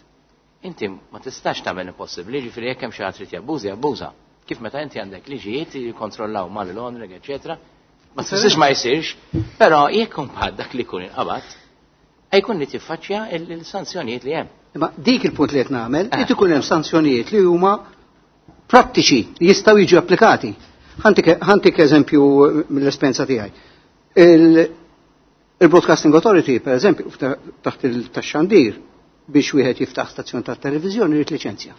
inti ma tistax tagħmel impossibbli, ġifieri jekk hemm xi ħadd trid jabbuża, jabbuża. Kif meta inti għandek liġijiet li jikkontrollaw mal-laundering, eċetera, ma tfissirx ma jsirx, però jekk imbagħad dak li jkun inqabad, jkun li tiffaċċja il-sanzjonijiet li hemm. Imma dik il-punt li qed nagħmel, irid ikun hemm sanzjonijiet li huma prattiċi li jistgħu jiġu applikati. Ħantik eżempju mill-esperjenza tiegħi. Il-Broadcasting Authority, per eżempju, taħt il-taxxandir biex wieħed jiftaħ stazzjon tat-televiżjoni jrid liċenzja.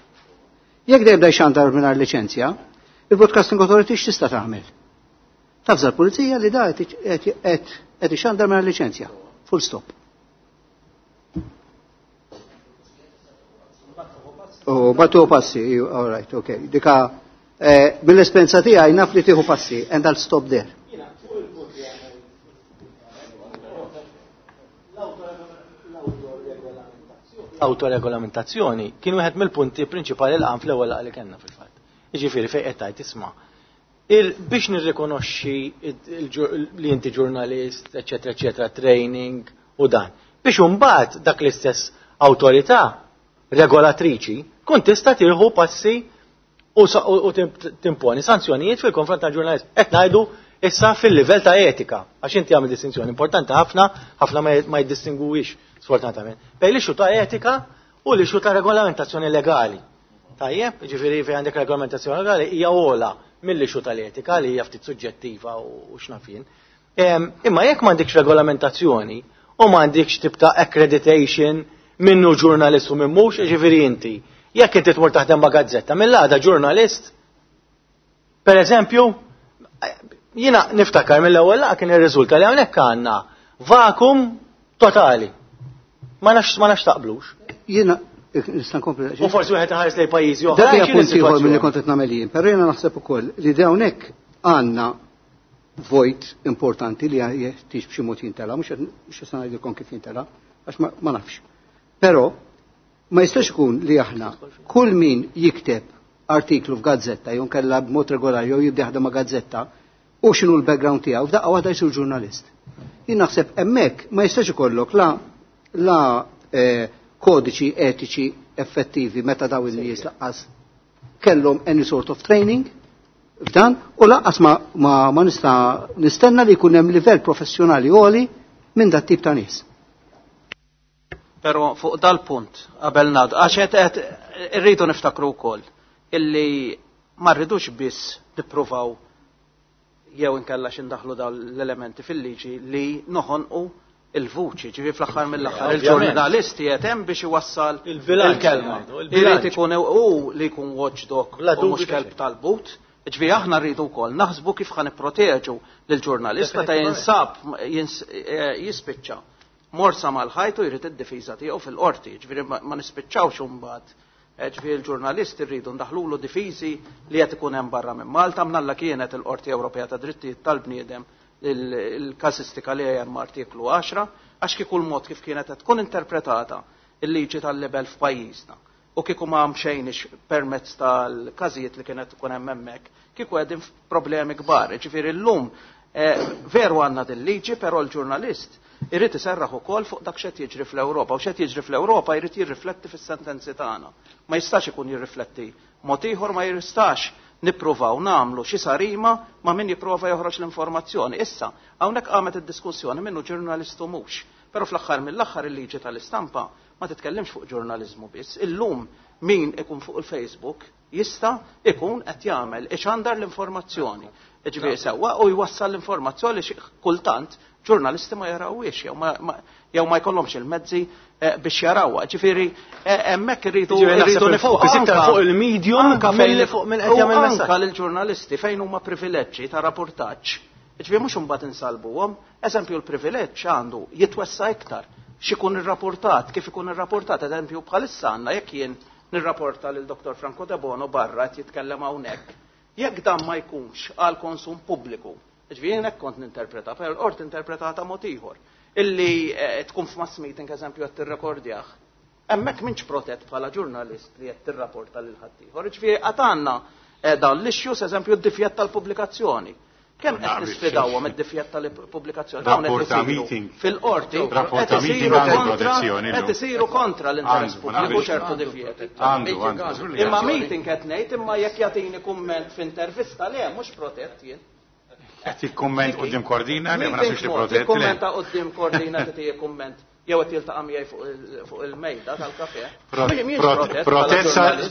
Jekk dejjem jibda jxandar mingħajr liċenzja, il-Broadcasting Authority x'tista' tagħmel? Tavża l-pulizija li da qed ixandar mingħajr liċenzja. Full stop. U batu passi, all right, okay. Dika eh, mill-esperjenza tiegħi naf li tieħu passi and I'll stop there. Autoregolamentazzjoni kien wieħed mill-punti prinċipali l-qam fl-ewwel laqgħa li kellna fil-fatt. Jiġifieri fejn qed tgħid isma' biex nirrikonoxxi li inti ġurnalist, eċetera, eċetera, training u dan. Biex imbagħad dak l-istess awtorità regolatriċi kun tista' tieħu passi u, u timponi sanzjonijiet fil-konfront tal-ġurnalist. Qed ngħidu issa fil-livell ta' etika, għax inti għamil distinzjoni importanti ħafna, ħafna ma jiddistingwix sfortunatament. Bejn l-issue ta' etika u l-issue ta' regolamentazzjoni legali. Tajjeb, ġifieri fejn għandek regolamentazzjoni legali hija ogħla mill-issue tal-etika li hija ftit suġġettiva u x'naf jien. Imma jekk m'għandekx regolamentazzjoni u m'għandekx tip ta' accreditation minnu ġurnalist u minn mhux, ġifieri inti, jekk inti tmur taħdem ma' gazzetta, mill-għada ġurnalist, per eżempju, jiena niftakar mill-ewwel laqgħa kien irriżulta li hawnhekk għandna vakum totali. Ma nafx ma nafx taqblux. Jiena nista' nkompli. U forsi wieħed iħares lejn pajjiżi oħra. Dak hija punt ieħor milli kont qed nagħmel jien, però jiena naħseb ukoll li hawnhekk għandna vojt importanti li jeħtieġ b'xi mod jintela, mhux mhux se ngħidilkom kif jintela, għax ma nafx. Però ma jistax ikun li aħna kull min jikteb artiklu f'gazzetta jew kellha b'mod regolari jew jibda jaħdem ma' gazzetta u x'inhu l-background tiegħu f'daqqa waħda jsir ġurnalist. Jien naħseb hemmhekk ma jistax ikollok la la eh, kodiċi etiċi effettivi meta daw in-nies laqqas kellhom any sort of training f'dan u laqqas ma, ma, ma nista' nistenna li jkun hemm livell professjonali għoli minn dat tip ta' nies. Però fuq dal-punt qabel ngħadu għax qed irridu niftakru wkoll illi ma rridux biss nippruvaw jew inkella x'indaħlu dawn l-elementi fil-liġi li noħonqu il-vuċi, ġifi fl-aħħar mill-aħħar il-ġurnalisti qed hemm biex iwassal il-kelma. Irid ikun hu li jkun watchdog u mhux kelb tal-but. Ġifi aħna rridu wkoll naħsbu kif ħa nipproteġu lill-ġurnalist meta jinsab jispiċċa morsa mal-ħajtu jrid id-difiża tiegħu fil-qorti, ġifieri ma nispiċċawx imbagħad. Ġifieri l-ġurnalist irridu ndaħlulu difiżi li qed ikun hemm barra minn Malta, mnalla kienet il-Qorti Ewropea ta' Drittijiet tal-Bniedem il-kazistika li hemm artiklu għaxra, għax kieku l-mod kif kienet qed tkun interpretata il-liġi tal-libel f'pajjiżna u kieku ma mxejniex permezz tal-każijiet li kienet tkun hemm hemmhekk, kieku qegħdin f'problemi kbar. Ġifieri llum veru għandna din liġi, però l-ġurnalist irid iserraħ ukoll fuq dak x'qed jiġri fl-Ewropa, u x'qed jiġri fl-Ewropa jrid jirrifletti fis-sentenzi tagħna. Ma jistax ikun jirrifletti mod ieħor, ma jistax nippruvaw nagħmlu xi sarima ma' min jipprova joħroġ l-informazzjoni. Issa, hawnhekk qamet id-diskussjoni minnu ġurnalist u mhux. Però fl-aħħar mill-aħħar il-liġi tal-istampa ma titkellimx fuq ġurnaliżmu biss. Illum min ikun fuq il-Facebook jista' ikun qed jagħmel ixandar l-informazzjoni. Ġifieri sewwa u jwassal l-informazzjoni xi kultant ġurnalisti ma jarawhiex jew ma, jew ma jkollhomx il-mezzi biex jarawha. Ġifieri hemmhekk irridu irridu nifuq iktar fuq il-medium milli fuq minn qed jagħmel messaġġ. Anka lill-ġurnalisti fejn huma privileġġi ta' rapportaġġ. Ġifieri mhux imbagħad insalbuhom, eżempju l-privileġġ għandu jitwessa iktar x'ikun irrapportat, kif ikun irrapportat, eżempju bħalissa għandna jekk jien nirrapporta lil Doktor Franco Debono barra qed jitkellem hawnhekk, jekk dan ma jkunx għal konsum pubbliku, ġifieri jien hekk kont ninterpreta, però l-qorti interpretata mod ieħor, illi tkun f'mass meeting eżempju qed tirrekordjah. Hemmhekk m'intx protett bħala ġurnalist li qed tirrapporta lil ħaddieħor. Ġifieri qatt għandna dawn l-issues, eżempju d-difjett tal-pubblikazzjoni. Kemm qed nisfidawhom id-difjett tal-pubblikazzjoni? Dawn qed isiru fil-qorti, qed isiru kontra, qed isiru kontra l-interess pubbliku ċertu difjett. Imma meeting qed ngħid, imma jekk jagħtini kumment f'intervista le mhux protett jien. Qed jikkumment quddiem Cordina li ma nafx li protett. Jikkummenta quddiem Cordina tagħti kumment jew qed jiltaqa' miegħi fuq il-mejda tal-kafè.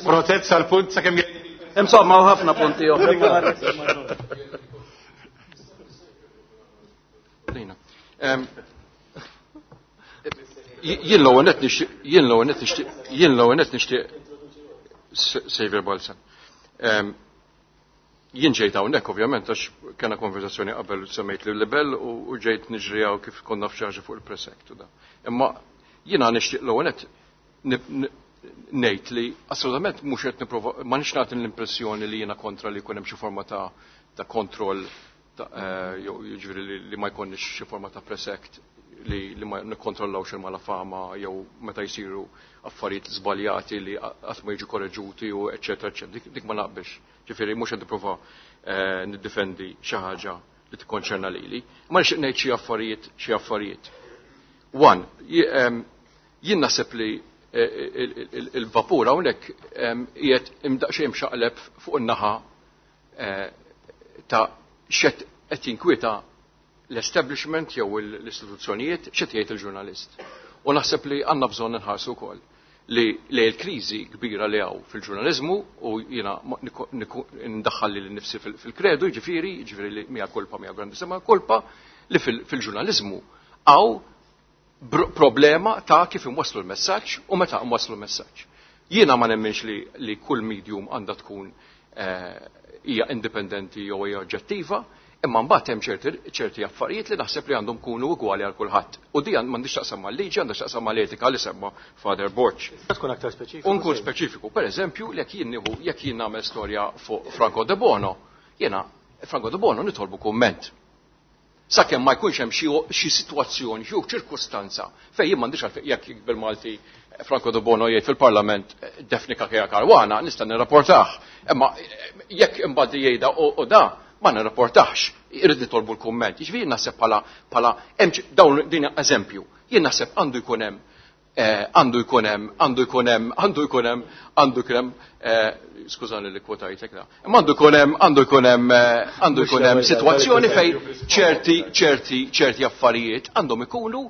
Protett sal-punt sakemm Insomma, hawn ħafna punti oħra. Jien l-ewwel nett nixtieq, jien l-ewwel nett nixtieq, jien l-ewwel nett nixtieq Xavier Balzan. Jien ġejt hawnhekk ovvjament għax kellna konversazzjoni qabel semmejt li libel u ġejt niġri hawn kif konna f'xi fuq il-Press Act u da. Imma jiena nixtieq l-ewwel nett ngħid li assolutament mhux qed nipprova ma nix nagħti l-impressjoni li jiena kontra li jkun hemm xi forma ta' ta' kontroll jew jiġifieri li ma jkollniex xi forma ta' Press Act li, li ma nikkontrollawx il-malafama jew meta jsiru affarijiet żbaljati li qatt ma jiġu korreġuti u eċċetera eċċetera. Dik, dik ma naqbilx. Ġifieri mhux qed nipprova eh, niddefendi xi ħaġa li tikkonċerna lili. Ma nixtieq ngħid xi affarijiet xi affarijiet. One, jien naħseb li il-vapur hawnhekk qiegħed imdaqsxejn imxaqleb fuq in-naħa ta' xed qed jinkwieta l-establishment jew l-istituzzjonijiet x'qed jgħid il-ġurnalist. U naħseb li għandna bżonn nħarsu wkoll li li l-kriżi kbira li hawn fil-ġurnaliżmu u jiena ndaħħal lili nnifsi fil-kredu, jiġifieri, jiġifieri li mea culpa mea grandissima culpa li fil-ġurnaliżmu hawn problema ta' kif imwasslu l-messaġġ u meta imwasslu l-messaġġ. Jiena ma nemminx li, li kull medium għandha tkun hija indipendenti jew hija oġġettiva, imma mbagħad hemm ċerti, ċerti affarijiet li naħseb li għandhom kunu ugwali għal kulħadd. U di m'għandix taqsam mal-liġi, għandha x'taqsam mal-etika li semma Father Borg. Tkun aktar speċifiku. Unkun speċifiku, per eżempju, jekk jien nieħu jekk jien nagħmel storja fuq Franco De Bono, jiena Franco De Bono nitolbu kumment. Sakemm ma jkunx hemm xi sitwazzjoni, xi ċirkustanza fejn jien m'għandix għalfejn jekk bil-Malti Franco De Bono jgħid fil-Parlament Daphne Cachia Caruana nista' nirrapportah. Imma jekk imbagħad jgħidha u da ma nirrapportax, irrid nitolbu l-kumment. Jiġifieri naħseb bħala bħala dawn din eżempju. Jien naħseb għandu jkun hemm għandu jkun hemm għandu jkun hemm għandu jkun hemm għandu jkun hemm skużani li kwotajtek da. Imma għandu jkun hemm għandu jkun hemm għandu jkun hemm sitwazzjoni fejn ċerti ċerti ċerti affarijiet għandhom ikunu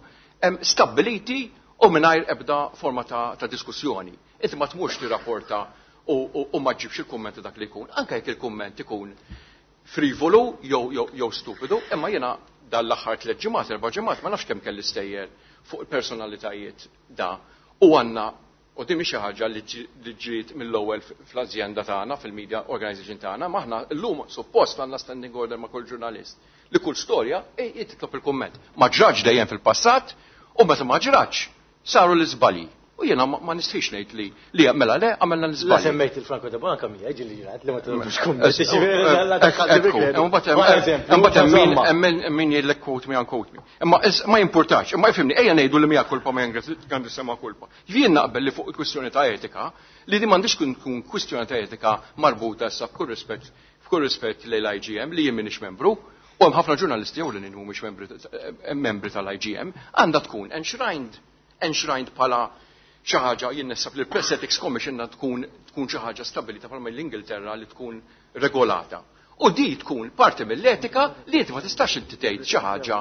stabbiliti u mingħajr ebda forma ta', ta' diskussjoni. Inti ma tmurx tirrapporta u, u, u ma ġibx il-kummenti dak li jkun, anke jekk il-kumment ikun frivolu jew jew jew stupidu, imma jiena dal-aħħar tliet ġimgħat, erba' ġimgħat ma nafx kemm kelli stejjer fuq il-personalitajiet da. U għandna, u din mhix xi ħaġa li ġiet mill-ewwel fl-azjenda tagħna, fil-media organization tagħna, ma aħna llum suppost għandna standing order ma' kull ġurnalist li kull storja titlob il-kumment. Ma ġraġ dejjem fil-passat u meta ma ġraġ saru l-iżbalji. U jiena ma nistħix ngħid li li mela le għamilna l-iżbalji. La semmejt il-Franco De Bono kemm hija li ġrat li ma titolbux kumment. Imbagħad hemm min jgħidlek quote me unquote me. Imma ma jimpurtax, imma jifhimni ejja ngħidu li mija kulpa ma grandissima kulpa. Jien naqbel li fuq il-kwistjoni ta' etika li di m'għandix tkun kwistjoni ta' etika marbuta issa b'kull rispett b'kull rispett lejn l-I G M li jien m'iniex membru. U hemm ħafna ġurnalisti jew li mhumiex membri tal-I G M għandha tkun enshrined enshrined bħala xi ħaġa jien naħseb li l-Press Ethics Commission tkun tkun xi ħaġa stabilita bħalma l-Ingilterra li tkun regolata. U di tkun parti mill-etika li inti ma tistax inti tgħid xi ħaġa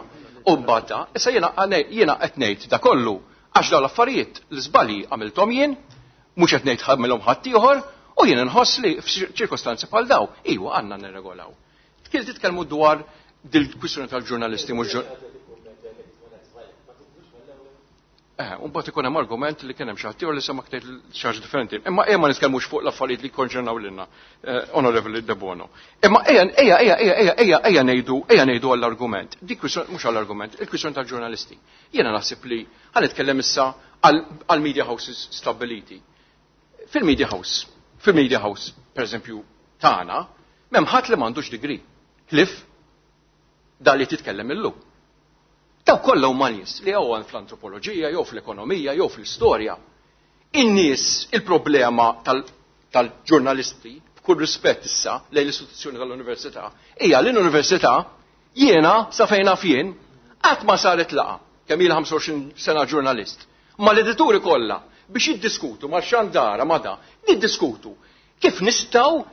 u mbagħad issa jiena jiena qed ngħid da kollu għax dawn l-affarijiet l-iżbalji għamilthom jien, mhux qed ngħid ħammilhom ħadd ieħor, u jien inħoss li f'ċirkostanzi bħal daw iwa għandna nirregolaw. Kien titkellmu dwar dil-kwistjoni tal-ġurnalisti mhux Eh, un bat ikun hemm argument li kien hemm xi ħadd li sema ktejt xi ħaġa differenti. Imma ejja ma nitkellmux fuq l-affarijiet li kkonċernaw lilna, Onorevoli De Bono. Imma ejja ejja ejja ejja ejja ejja ngħidu ejja ngħidu għall-argument. Dik kwistjoni mhux għall-argument, il-kwistjoni tal-ġurnalisti. Jiena naħseb li ħa nitkellem issa għall media houses stabbiliti. Fil-media house, fil-media house, pereżempju tagħna, m'hemm ħadd li m'għandux degree. Ħlief da li titkellem illum. Daw kollha huma nies li jew fl-antropoloġija, jew fl-ekonomija, jew fl-istorja. In-nies il-problema tal-ġurnalisti, b'kull rispett issa lejn l-istituzzjoni tal-università, hija li l-università jiena sa fejn naf jien qatt ma saret laqgħa kemm ilha ħamsa u għoxrin sena ġurnalist. Ma l-edituri kollha biex jiddiskutu mal-xandara ma da, niddiskutu kif nistgħu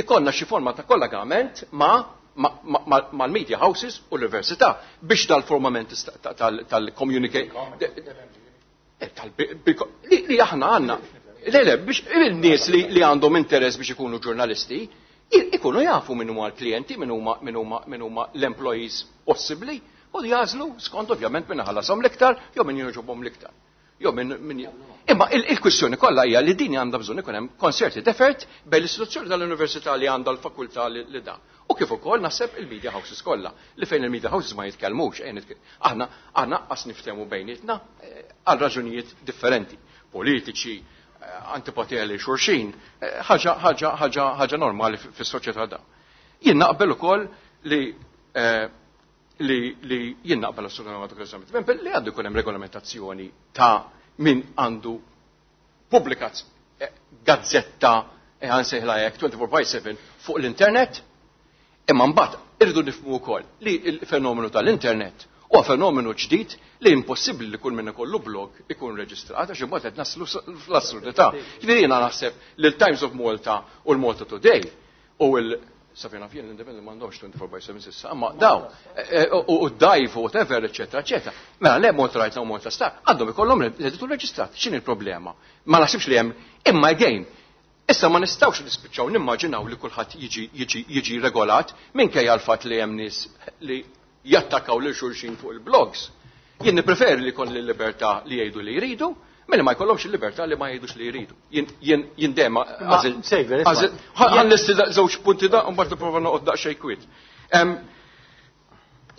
ikollna xi forma ta' kollegament ma' mal-media houses u l-università biex dal-formament tal-communicate li aħna għandna. Le, le, biex il-nies li għandhom interess biex ikunu ġurnalisti ikunu jafu min huma l-klijenti, min huma min huma l-employees possibbli u jagħżlu skont ovvjament min ħallashom l-iktar jew min jogħġobhom l-iktar. Jew minn min Imma il-kwistjoni kollha hija li din għandha bżonn ikun hemm concerted effort bejn l-istituzzjoni tal-università li għandha l-fakultà li da. U kif ukoll naħseb il-media houses kollha li fejn il-media houses ma jitkellmux, aħna aħna qas niftehmu bejnietna għal raġunijiet differenti, politiċi, antipatija li xulxin, ħaġa ħaġa ħaġa ħaġa normali fis-soċjetà da. Jien naqbel ukoll li li li jien naqbel assolutament li għandu jkun hemm regolamentazzjoni ta' min għandu pubblikat gazzetta għansejħla hekk twenty-four by seven fuq l-internet, imma mbagħad irridu nifhmu wkoll li l-fenomenu tal-internet huwa fenomenu ġdid li impossibbli li kull min ikollu blog ikun reġistrat għax imbagħad qed naslu fl-assurdità. Ġifieri jiena naħseb li l-Times of Malta u l-Malta Today u l Safina fien l-Independent m'għandhomx twenty-four by seven sissa, imma daw u d-Dive u whatever, eċetera, eċetera. Mela le Malta Right u Malta Star għandhom ikollhom l-editur reġistrat. X'inhi l-problema? Ma naħsibx li hemm, imma again, issa ma nistgħux nispiċċaw nimmaġinaw li kulħadd jiġi jiġi jiġi regolat minkejja l-fatt li hemm nies li jattakkaw lil xulxin fuq il-blogs. Jien nippreferi li jkollni l-libertà li jgħidu li jridu, milli ma jkollhomx il-libertà li ma jgħidux li jridu. Jien jien dejjem għażil ħanlisti żewġ punti da u mbagħad nipprova noqgħod daqsxejn kwiet.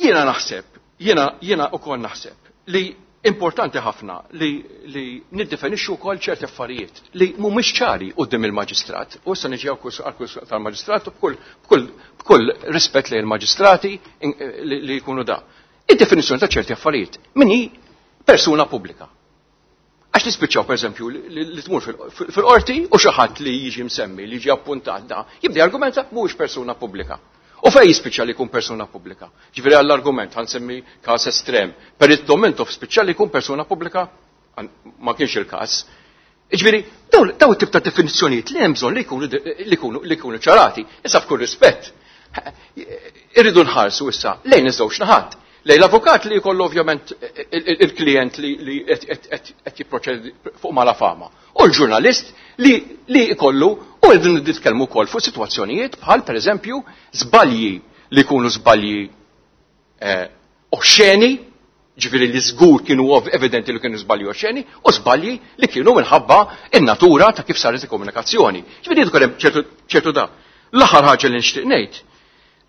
Jiena naħseb, jiena jiena wkoll naħseb li importanti ħafna li li niddefinixxu wkoll ċerti affarijiet li mhumiex ċari quddiem il-maġistrat. U issa niġi għal tal-maġistrat b'kull b'kull b'kull rispett lejn il-maġistrati li jkunu da. Id-definizzjoni ta' ċerti affarijiet min hi persuna pubblika. Għax nispiċċaw pereżempju li tmur fil-qorti u xi ħadd li jiġi msemmi, li jiġi appuntat da, jibda argumenta mhuwiex persuna pubblika. U fejn jispiċċa li jkun persuna pubblika? Ġifieri għall-argument ħansemmi każ estrem, per il-Domentov spiċċa li jkun persuna pubblika, ma kienx il-każ. Ġifieri daw it-tip ta' definizzjonijiet li hemm bżonn li jkunu li jkunu li jkunu ċarati. Issa f'kull rispett, irridu nħarsu issa lejn iż-żewġ naħat. Lej l-avukat li jkollu ovvjament il-klient li qed jipproċedi fuq malafama. U l-ġurnalist li jkollu u rridu nitkellmu wkoll fuq sitwazzjonijiet bħal pereżempju żbalji li jkunu żbalji oxxeni, ġifieri li żgur kienu evidenti li kienu żbalji oxxeni, u żbalji li kienu minħabba in-natura ta' kif saret il-komunikazzjoni. Ġifieri jkun hemm ċertu da. L-aħħar ħaġa li nixtieq ngħid,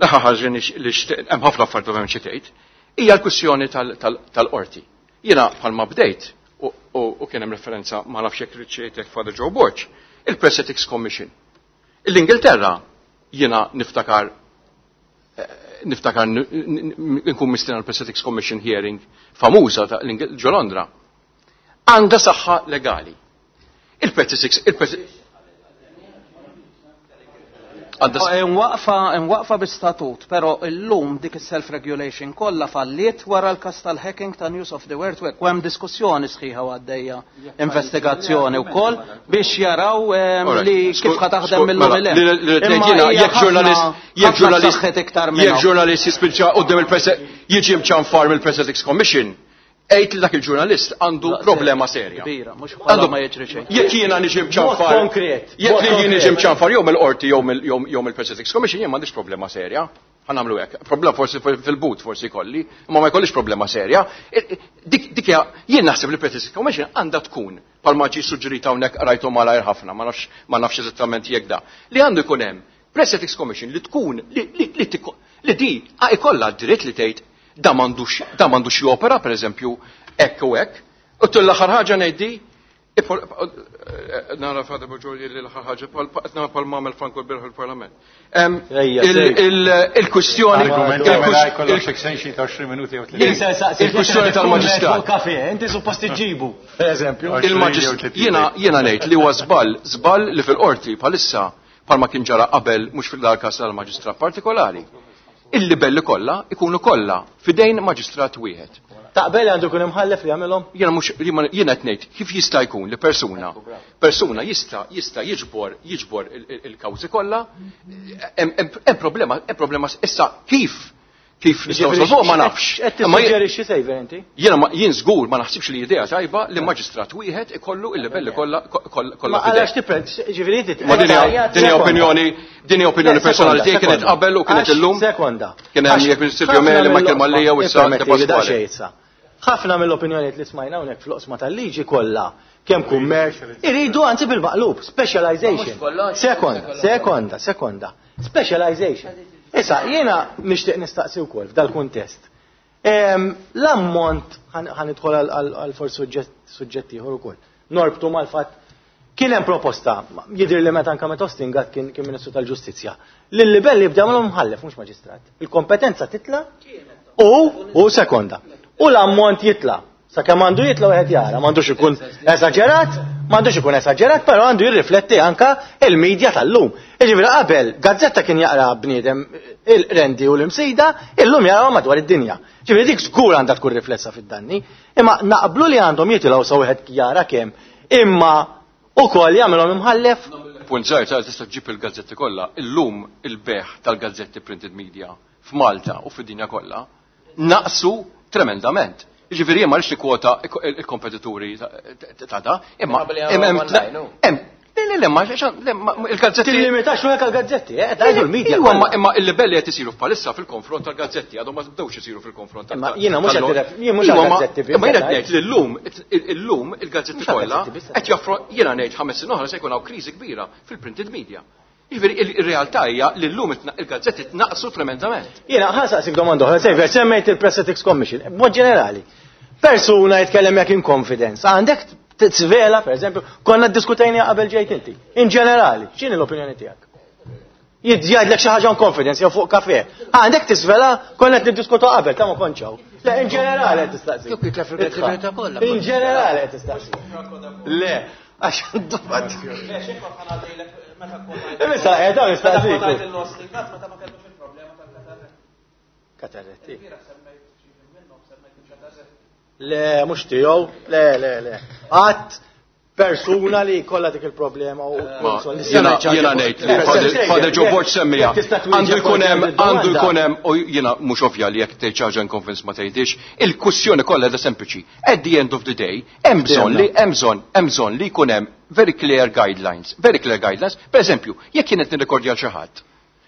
l-aħħar ħaġa li nixtieq hemm ħafna affarijiet ovvjament xi tgħid, hija l-kwistjoni tal-qorti. Jiena bħalma bdejt u kien hemm referenza ma nafx jekk riċċejtek Father Joe Borg, il-Press Ethics Commission. L-Ingilterra jiena niftakar niftakar nkun mistiena l-Press Ethics Commission hearing famuża ta' ġo Londra. Għandha saħħa legali. Il-Press Ethics Imwaqfa bi-statut, però illum dik is-self-regulation kollha falliet wara l-każ tal-hacking ta' News of the World u hemm diskussjoni sħiħa għaddejja investigazzjoni wkoll biex jaraw li kif ħa taħdem mill-lum il Jekk ġurnalist jekk ġurnalist jekk ġurnalist jispiċċa quddiem il-Press jiġi mċanfar mill-Press Ethics Commission, għid li dak il-ġurnalist għandu problema serja. Għandu ma jiġri xejn. Jekk jiena niġi mċanfar. Jekk jien niġi mċanfar jew mill-qorti jew mill-Press Ethics Commission jien m'għandix problema serja. Ħa nagħmlu hekk. Problema forsi fil-but forsi jkolli, imma ma jkollix problema serja. Dik dik jien naħseb li Press Ethics Commission għandha tkun bħalma ġie suġġerita hawnhekk rajtu malajr ħafna, ma nafx ma nafx eżattament jekk da. Li għandu jkun hemm Press Ethics Commission li tkun li li li di ikollha d-dritt li tgħid da m'għandux da m'għandux jopera pereżempju hekk u hekk. U tul l-aħħar ħaġa ngħiddi nara Father Boġoli li l-aħħar ħaġa qed nara bħal m'għamel Franco l-bieraħ il-Parlament. Il-kwistjoni il-kwistjoni tal-maġistrat. Inti suppost iġġibu, pereżempju. Jiena jiena ngħid li huwa żball, żball li fil-qorti bħalissa bħalma kien ġara qabel mhux fil-każ tal-maġistrat partikolari. Il-libelli kollha ikunu kollha fidejn maġistrat wieħed. Taqbel għandu jkun imħallef li jagħmilhom? Jiena mhux jiena qed ngħid kif jista' jkun li persuna persuna jista' jista' jiġbor jiġbor il-kawżi kollha, hemm problema hemm problema issa kif kif nistgħu nsolvuha ma nafx. Qed tissuġġerixxi sejver inti? Jiena jien żgur ma naħsibx li idea tajba li maġistrat wieħed ikollu il-livelli kollha kollha. Ma għalax tipred, ġifieri inti. Ma din hija opinjoni din hija opinjoni personali tiegħi kienet qabel u kienet illum. Sekonda. Kien hemm jekk Silvio Meli, Michael Mallia u issa Pasquale. Ħafna mill-opinjonijiet li smajna hawnhekk fl-oqsma tal-liġi kollha, kemm kummerċ, iridu anzi bil-maqlub, specialization. Sekonda, sekonda, sekonda. Specialization. Issa, jiena nixtieq nistaqsi wkoll f'dal-kuntest. L-ammont, ħa nidħol għal forsi suġġett ieħor ukoll. Norbtu mal-fatt kien hemm proposta, jidher li meta anke meta Austin Gatt kien Ministru tal-Ġustizzja, li l-libell jibda jagħmilhom mħallef mhux maġistrat. Il-kompetenza titla' u u sekonda. U l-ammont jitla'. Sakemm għandu jitla' wieħed jara, m'għandux ikun esaġerat, m'għandux ikun esaġerat, però għandu jirrifletti anka il-medja tal-lum. Jiġifieri qabel gazzetta kien jaqra bniedem il-Rendi u l-Imsida, illum jaqra madwar id-dinja. Ġifieri dik żgur għandha tkun riflessa fid-danni, imma naqblu li għandhom jitilgħu sa wieħed jara kemm, imma ukoll jagħmilhom imħallef. Punt żgħir ta' tista' ġġib il-gazzetti kollha, illum il-beħ tal-gazzetti printed media f'Malta u fid-dinja kollha naqsu tremendament. Jiġifieri jien ma rridx nikkwota il-kompetituri ta' da, imma hemm hemm le le ma il-gazzetti. Tillimitax ruħek għall-gazzetti, eh, tgħidu l-media. Iwa, imma il-libelli qed isiru bħalissa fil-konfront tal-gazzetti, għadhom ma bdewx isiru fil-konfront tal Jiena mhux qed jien mhux għall-gazzetti biss. Imma jiena qed ngħid li llum illum il-gazzetti kollha qed jaffro jiena ngħid ħames snin oħra se jkun hawn kriżi kbira fil-printed media. Jiġifieri ir-realtà hija li llum il-gazzetti tnaqsu tremendament. Jiena ħa nsaqsik domanda oħra, Xavier, semmejt il-Press Ethics Commission, b'mod ġenerali. Persuna jitkellem jekk in confidence, għandek tiżvela, per eżempju, konna ddiskutejna qabel ġejt inti. In ġenerali, x'inhi l-opinjoni tiegħek? Jgħidlek xi ħaġa in confidence jew fuq kafe. Għandek tiżvela, konna qed niddiskutu qabel, ta' ma konċaw. Le, in ġenerali qed tistaqsi. In ġenerali qed tistaqsi. Le, għax dubat. Issa, eh, dawn nistaqsik. Katarretti. Le, mhux tiegħu, le, le, le. Għat persuna li kollha dik il-problema u Jiena jiena ngħid li Father Joe Borg semmija. Għandu jkun hemm għandu jkun hemm u jiena mhux ovvja li jekk tgħid xi ħaġa in confidence ma tgħidix, il-kwistjoni kollha qiegħda sempliċi. At the end of the day, hemm bżonn li hemm bżonn hemm bżonn li jkun hemm very clear guidelines, very clear guidelines. Per eżempju, jekk jien qed nirrekordja xi ħadd,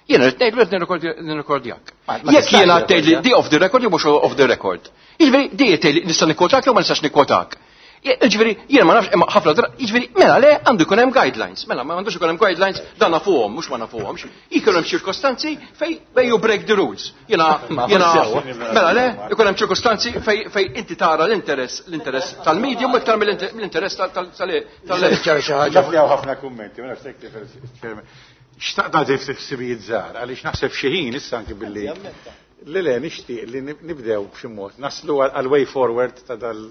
jiena qed ngħidlu qed nirrekordjak. Jekk jiena tgħid li di off the record jew mhux off the record. Jiġifieri di tgħid li nista' nikkwotak jew ma nistax nikkwotak. Jiġifieri jiena ma nafx imma ħafna drabi, jiġifieri mela le għandu jkun hemm guidelines. Mela ma għandux ikun hemm guidelines dan nafuhom, mhux ma nafuhomx. Jkun hemm ċirkostanzi fej fej you break the rules. Jiena jiena mela le ikun hemm ċirkostanzi fej fej inti tara l-interess l-interess tal-medium iktar mill-interess tal tal tal Naf li hawn ħafna kummenti, ma nafx tifel. Xtaqt nagħti ftit ħsibijiet żgħar għaliex naħseb xi ħin issa anki billi Le le nixtieq li nibdew b'xi mod naslu għal way forward ta' dal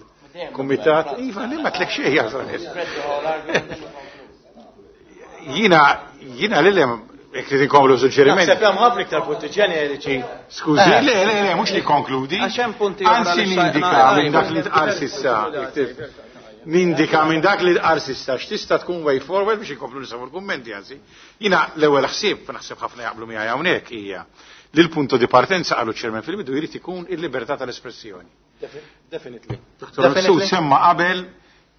kumitat. Iva, li ma tlek xejn jasal. Jiena jiena li jekk trid inkomplu suġġeriment. Naħseb hemm ħafna iktar punti ġeneriċi. Skużi, le, le, le, mhux li konkludi. Għax hemm punti oħra Anzi li nindika xtaqna minn dak li tqal s'issa. Nindika minn dak li tqal s'issa x'tista' tkun way forward biex inkomplu nisimgħu l-kummenti anzi. Jiena l-ewwel ħsieb naħseb ħafna jaqblu miegħi hawnhekk hija li l-punto di partenza qalu ċ-chairman fil-bidu jrid ikun il-libertà tal-espressjoni. Definitely. Dottor Mifsud semma qabel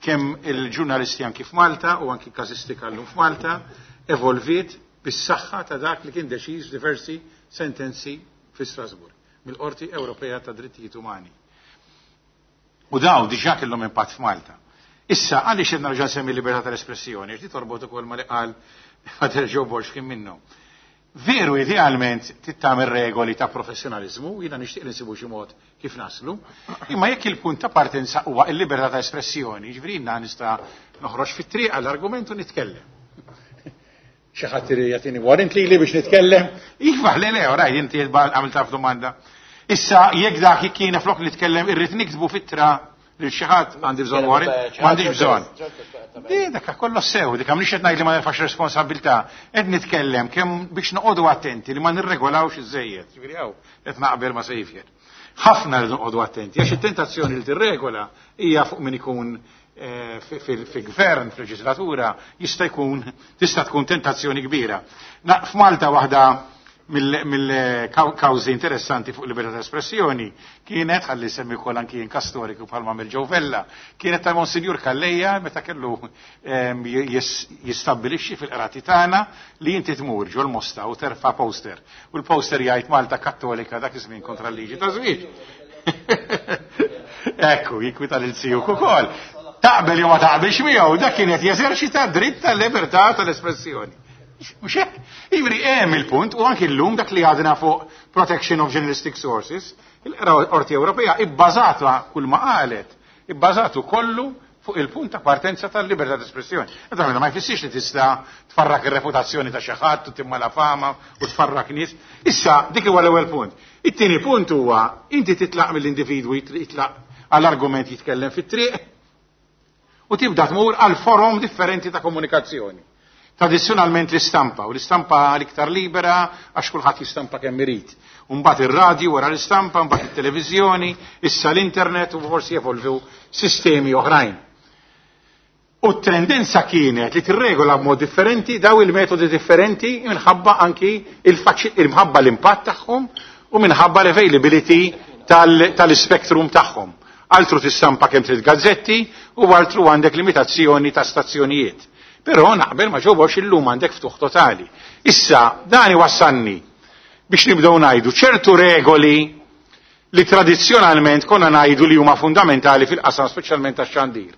kemm il-ġurnalisti anki f'Malta u anki każistika llum f'Malta evolviet bis-saħħa ta' dak li kien deċiż diversi sentenzi fi Strasburg mill-Qorti Ewropea ta' Drittijiet Umani. U daw diġà kellhom impatt f'Malta. Issa għaliex qed nerġa' nsemmi libertà tal-espressjoni, għax di torbot ukoll ma li qal Father Joe Borg kien minnhom. Veru idealment tittamel regoli ta' professjonalizmu, jiena nixtieq li nsibu xi mod kif naslu, imma jekk il-punt ta' partenza huwa l-libertà ta' espressjoni, jiġifieri jiena nista' noħroġ fit-triq għall-argument u nitkellem. Xi ħadd irid jagħtini warrant lili biex nitkellem? Iva, le, le, oraj, inti għamilt taf domanda. Issa, jekk dak jekk jiena flok nitkellem irrid niktbu fittra lil xi ħadd għandi bżonn warrant, m'għandix bżonn. Di dak kollu sew, dik mhix qed ngħid li ma nerfax responsabilità, qed nitkellem kemm biex noqogħdu attenti li ma nirregolawx iżejjed. Ġifieri hawn qed naqbel ma' Xavier. Ħafna li noqogħdu attenti għax it-tentazzjoni li tirregola hija fuq min ikun eh, fi gvern, fil-leġislatura, jista' jkun tista' tkun tentazzjoni kbira. F'Malta waħda mill-kawżi interessanti fuq libertà ta' espressjoni kienet, ħalli semmi wkoll anki jien kas storiku bħalma mill Joe Vella, kienet ta' Monsinjur Calleja meta kellu ehm, jistabbilixxi fil-qrati tagħna li inti tmur ġol Mosta u terfa' poster. U l-poster jgħid Malta Kattolika dak iż-żmien kontra l-liġi ta' żwieġ. Ekku, jikwita lil zijuk ukoll. Taqbel jew ma taqbilx miegħu, dak kien qed jeżerċita dritt tal-libertà tal-espressjoni. Mhux hekk? Ivri hemm il-punt u anki llum dak li għadna fuq Protection of Journalistic Sources, il-Qorti Ewropea ibbażata kull ma qalet, ibbażatu kollu fuq il-punt ta' partenza tal-libertà d'espressjoni. Naturalment ma jfissirx li tista' tfarrak ir-reputazzjoni ta' xi ħadd u timma la fama u tfarrak nies. Issa dik huwa l-ewwel punt. It-tieni punt huwa inti titlaq mill-individwu jitlaq għall-argument jitkellem fit-triq u tibda tmur għal forom differenti ta' komunikazzjoni. Tradizzjonalment l-istampa, u l-istampa l-iktar libera għax kulħadd jistampa kemm irid. Mbagħad ir-radju wara l-istampa, mbagħad it-televiżjoni, issa l-internet u forsi jevolvu sistemi oħrajn. U t-tendenza kienet li tirregola b'mod differenti daw il-metodi differenti minħabba anki il-mħabba l-impatt tagħhom u minħabba l-availability tal-spektrum tagħhom. Altru tistampa kemm trid gazzetti u altru għandek limitazzjoni ta' stazzjonijiet. Però naqbel ma ġewwax illum għandek ftuħ totali. Issa dan iwassalni biex nibdew ngħidu ċertu regoli li tradizzjonalment konna ngħidu li huma fundamentali fil-qasam speċjalment tax-xandir.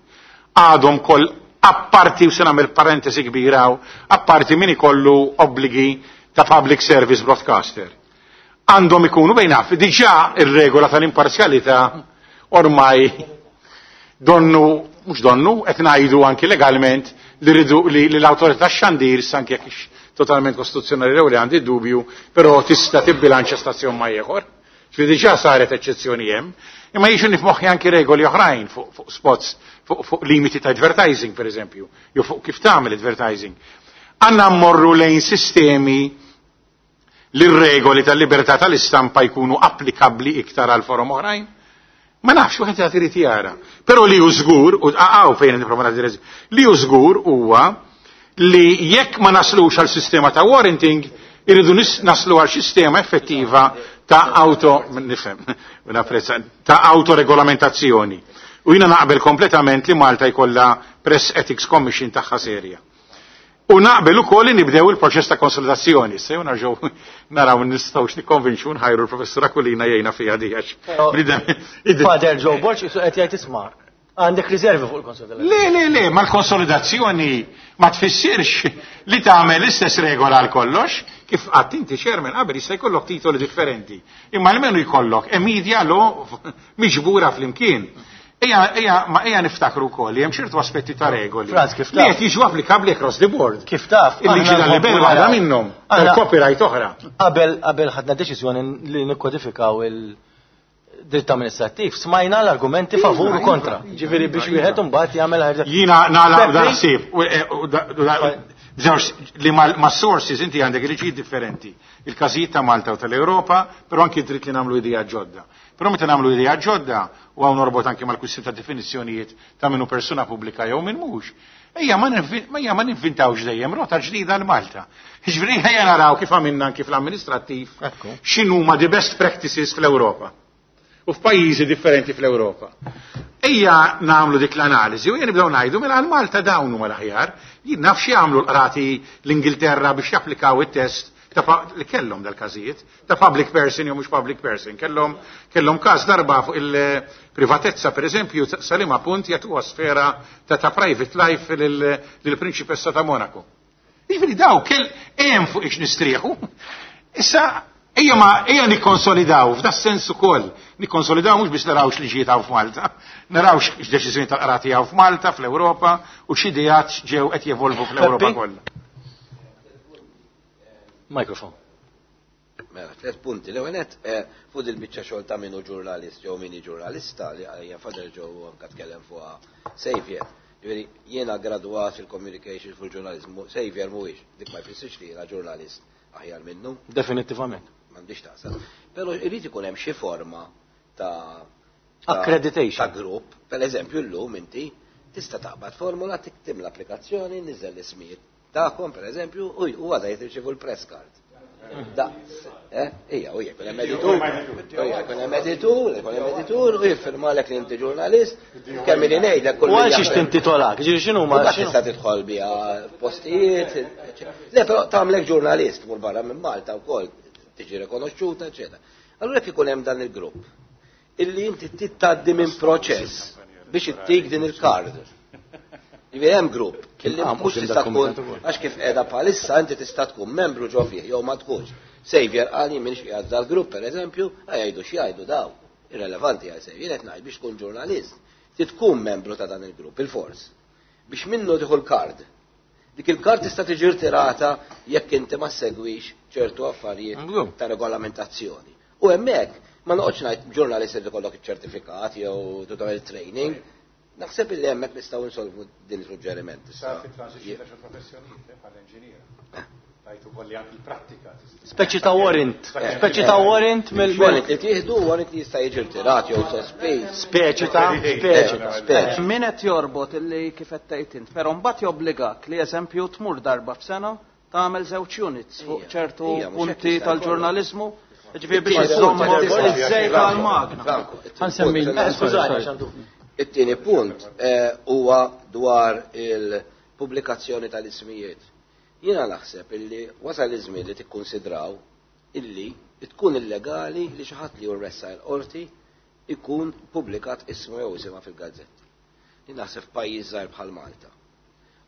Għadhom koll apparti, u se nagħmel parentesi kbira, apparti min ikollu obbligi ta' public service broadcaster. Għandhom ikunu bejn naf, diġà ir-regola tal-imparzjalità ormai donnu, mhux donnu, qed ngħidu anki legalment li rridu li l-awtorità xandir, anke jekk totalment kostituzzjonali jew li għandi dubju, però tista' tibbilanċja stazzjon ma' ieħor. Ġifieri diġà saret eċċezzjoni hemm, imma jiġu nifmoħħi anki regoli oħrajn fuq fuq spots, fuq fuq limiti ta' advertising per eżempju, jew fuq kif tagħmel advertising. Għandna mmorru lejn sistemi li r-regoli tal-libertà tal-istampa jkunu applikabbli iktar għal forom oħrajn. Ma nafx, wieħed jagħti irid jara. Però li hu żgur, u għaw fejn nipprova nagħti li hu żgur huwa li jekk ma naslux għal sistema ta' warranting, irridu naslu għal sistema effettiva ta' auto, nifhem, napprezza, ta' autoregolamentazzjoni. U jiena naqbel kompletament li Malta jkollha Press Ethics Commission tagħha serja. U naqbel ukoll li nibdew il-proċess ta' konsolidazzjoni. Se jew narġgħu naraw nistgħux nikkonvinċu nħajru l-professur Aquilina jgħinna fiha di għax. Father Joe Borg isu qed jgħid isma' għandek riservi fuq il-konsolidazzjoni. Le, le, le, ma l-konsolidazzjoni ma tfissirx li tagħmel l-istess regola għal kollox, kif qatt inti chairman qabel jista' jkollok titoli differenti. Imma almenu jkollok e media law miġbura flimkien. Ejja, ejja, ma ejja niftakru wkoll li hemm ċertu aspetti ta' regoli. Franz, kif Li taf? qed jiġu applikabbli across the board. Kif taf? Il-liġi tal-libel waħda minnhom, tal-copyright oħra. Qabel qabel ħadna deċiżjoni li nikkodifikaw il-dritt amministrattiv, smajna l-argumenti favur u kontra. Ġifieri biex wieħed imbagħad jagħmel ħaġa. Jiena nagħlaq dan ħsieb. Żewġ li ma' sources inti għandek liġijiet differenti. Il-każijiet ta' Malta u tal-Ewropa, però anki dritt li nagħmlu idea ġodda. Però meta nagħmlu idea ġodda, u hawn norbot anki mal-kwistjoni ta' definizzjonijiet ta' minnu persuna pubblika jew min mhux. Ejja ma ejja ma ninvintawx dejjem rota ġdida għal Malta. Jiġifieri ejja naraw kif għamilna anki fl-amministrattiv x'inhuma the best practices fl-Ewropa u f'pajjiżi differenti fl-Ewropa. Ejja nagħmlu dik l-analiżi u ejja nibdew ngħidu mela għal Malta dawn huma l-aħjar. Jien naf xi jagħmlu l-qrati l-Ingilterra biex japplikaw it-test ta' li kellhom dal-każijiet ta' public person jew mhux public person. Kellhom kellhom każ darba fuq il-privatezza pereżempju sa liema punt jagħtuha sfera ta' ta' private life lill-prinċipessa ta' Monaco. Jiġifieri daw kell hemm fuq ix nistrieħu. Issa ejja ma ejja nikkonsolidaw f'da sens ukoll. Nikkonsolidaw mhux biex naraw x'liġijiet hawn f'Malta, naraw x'deċiżjoni tal-qrati hawn f'Malta, fl-Ewropa u x'ideat ġew qed jevolvu fl-Ewropa kollha. Mikrofon. Mela, tliet punti. L-ewwel nett fuq il-biċċa xogħol ta' minnu ġurnalist jew minni ġurnalista li hija Father Joe anke tkellem fuqha Xavier. Ġifieri jiena gradwat fil-communication fil-ġurnaliżmu, Xavier mhuwiex, dik ma jfissirx li jiena ġurnalist aħjar minnu. Definitivament. M'għandix taqsam. Però irid ikun hemm xi forma ta' accreditation ta' grupp. Per eżempju llum inti tista' taqbad formula tiktib l-applikazzjoni, niżel l-ismijiet tagħkom per eżempju, u għada jitirċivu l-press card. Da, eh, ija, u jekun hemm editur, u jekun hemm editur, jekun hemm editur, u jiffirmalek li inti ġurnalist, kemm ili ngħidlek kull U għal xiex tintitolak, ġifieri x'inhu ma tista' tidħol biha postijiet. Le, però tagħmlek ġurnalist mur barra minn Malta wkoll tiġi rikonoxxuta, eċetera. Allura jekk ikun hemm dan il-grupp illi inti tgħaddi minn proċess biex ittik din il-kard. Jiġifieri hemm grupp illi mhux tista' tkun għax kif qiegħda bħalissa inti tista' tkun membru ġo fih jew ma tkunx. Xavier qal jien m'iniex qiegħed dal-grupp pereżempju, jgħidu x'jgħidu daw. Irrelevanti għal Xavier, jien qed ngħid biex tkun ġurnalist, trid tkun membru ta' dan il-grupp, il-fors. Biex minnu tieħu l-kard. Dik il-kard tista' tiġi rtirata jekk inti ma segwix ċertu affarijiet ta' regolamentazzjoni. U hemmhekk ma noqgħodx ngħid ġurnalist li ikollok iċ-ċertifikat jew tagħmel training. Naħseb illi hemmhekk nistgħu nsolvu din il-suġġeriment. Sar fi transition ta' xi professjonijiet bħal engineer. Tajtu kolli anki l-prattika. Speċi ta' warrant. Speċi ta' warrant mill Warrant li tieħdu warrant li jista' jiġi rtirat jew sospiż. Speċi ta' speċi ta' speċi. Min qed jorbot illi kif qed tgħid int, però mbagħad jobbligak li eżempju tmur darba f'sena tagħmel żewġ units fuq ċertu punti tal-ġurnaliżmu. Ġifieri biex iżommu iż-żejt għall-magna. Ħansemmi It-tieni punt huwa dwar il-pubblikazzjoni tal-ismijiet. Jiena naħseb illi wasal iż-żmien li tikkunsidraw illi tkun illegali li xi ħadd li jurressa l-qorti ikun pubblikat ismu jew isimha fil-gazzetti. Jien naħseb f'pajjiż żgħir bħal Malta.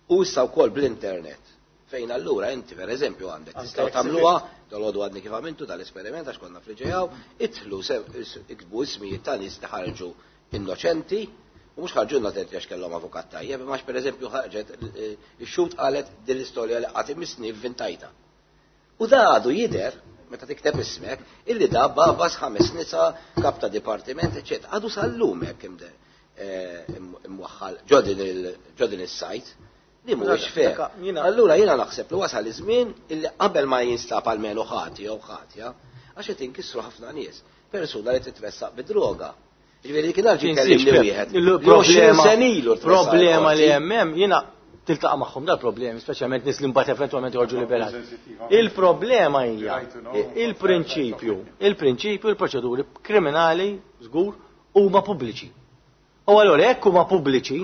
U issa wkoll bl-internet fejn allura inti pereżempju għandek tistgħu tagħmluha, dalgħodu għadni kif għamiltu dal-esperiment għax konna fl-ġejaw, idħlu iktbu ismijiet ta' nies li ħarġu innoċenti. U mhux ħarġu innoċenti għax kellhom avukat tajjeb, imma għax pereżempju ħarġet ix-xhud qalet din l-istorja li qatt imissni vvintajta. U da għadu jidher meta tikteb ismek illi da babas ħames nisa, kap ta' dipartiment, eċċetera. Għadu sal-lum hekk imwaħħal ġo din is-sajt li mhuwiex fair. Allura jiena naħseb li wasal iż-żmien illi qabel ma jinstab almenu ħati jew ħatja, għax qed inkissru ħafna nies, persuna li titressaq bid-droga. Ġifieri kien għal kellimni wieħed. Il-problema problema li hemm hemm jiena tiltaqa' magħhom dal-problemi, speċjalment nies li mbagħad eventwalment joħorġu liberati. Il-problema hija il-prinċipju, il-prinċipju il-proċeduri kriminali żgur huma pubbliċi. U allura jekk huma pubbliċi,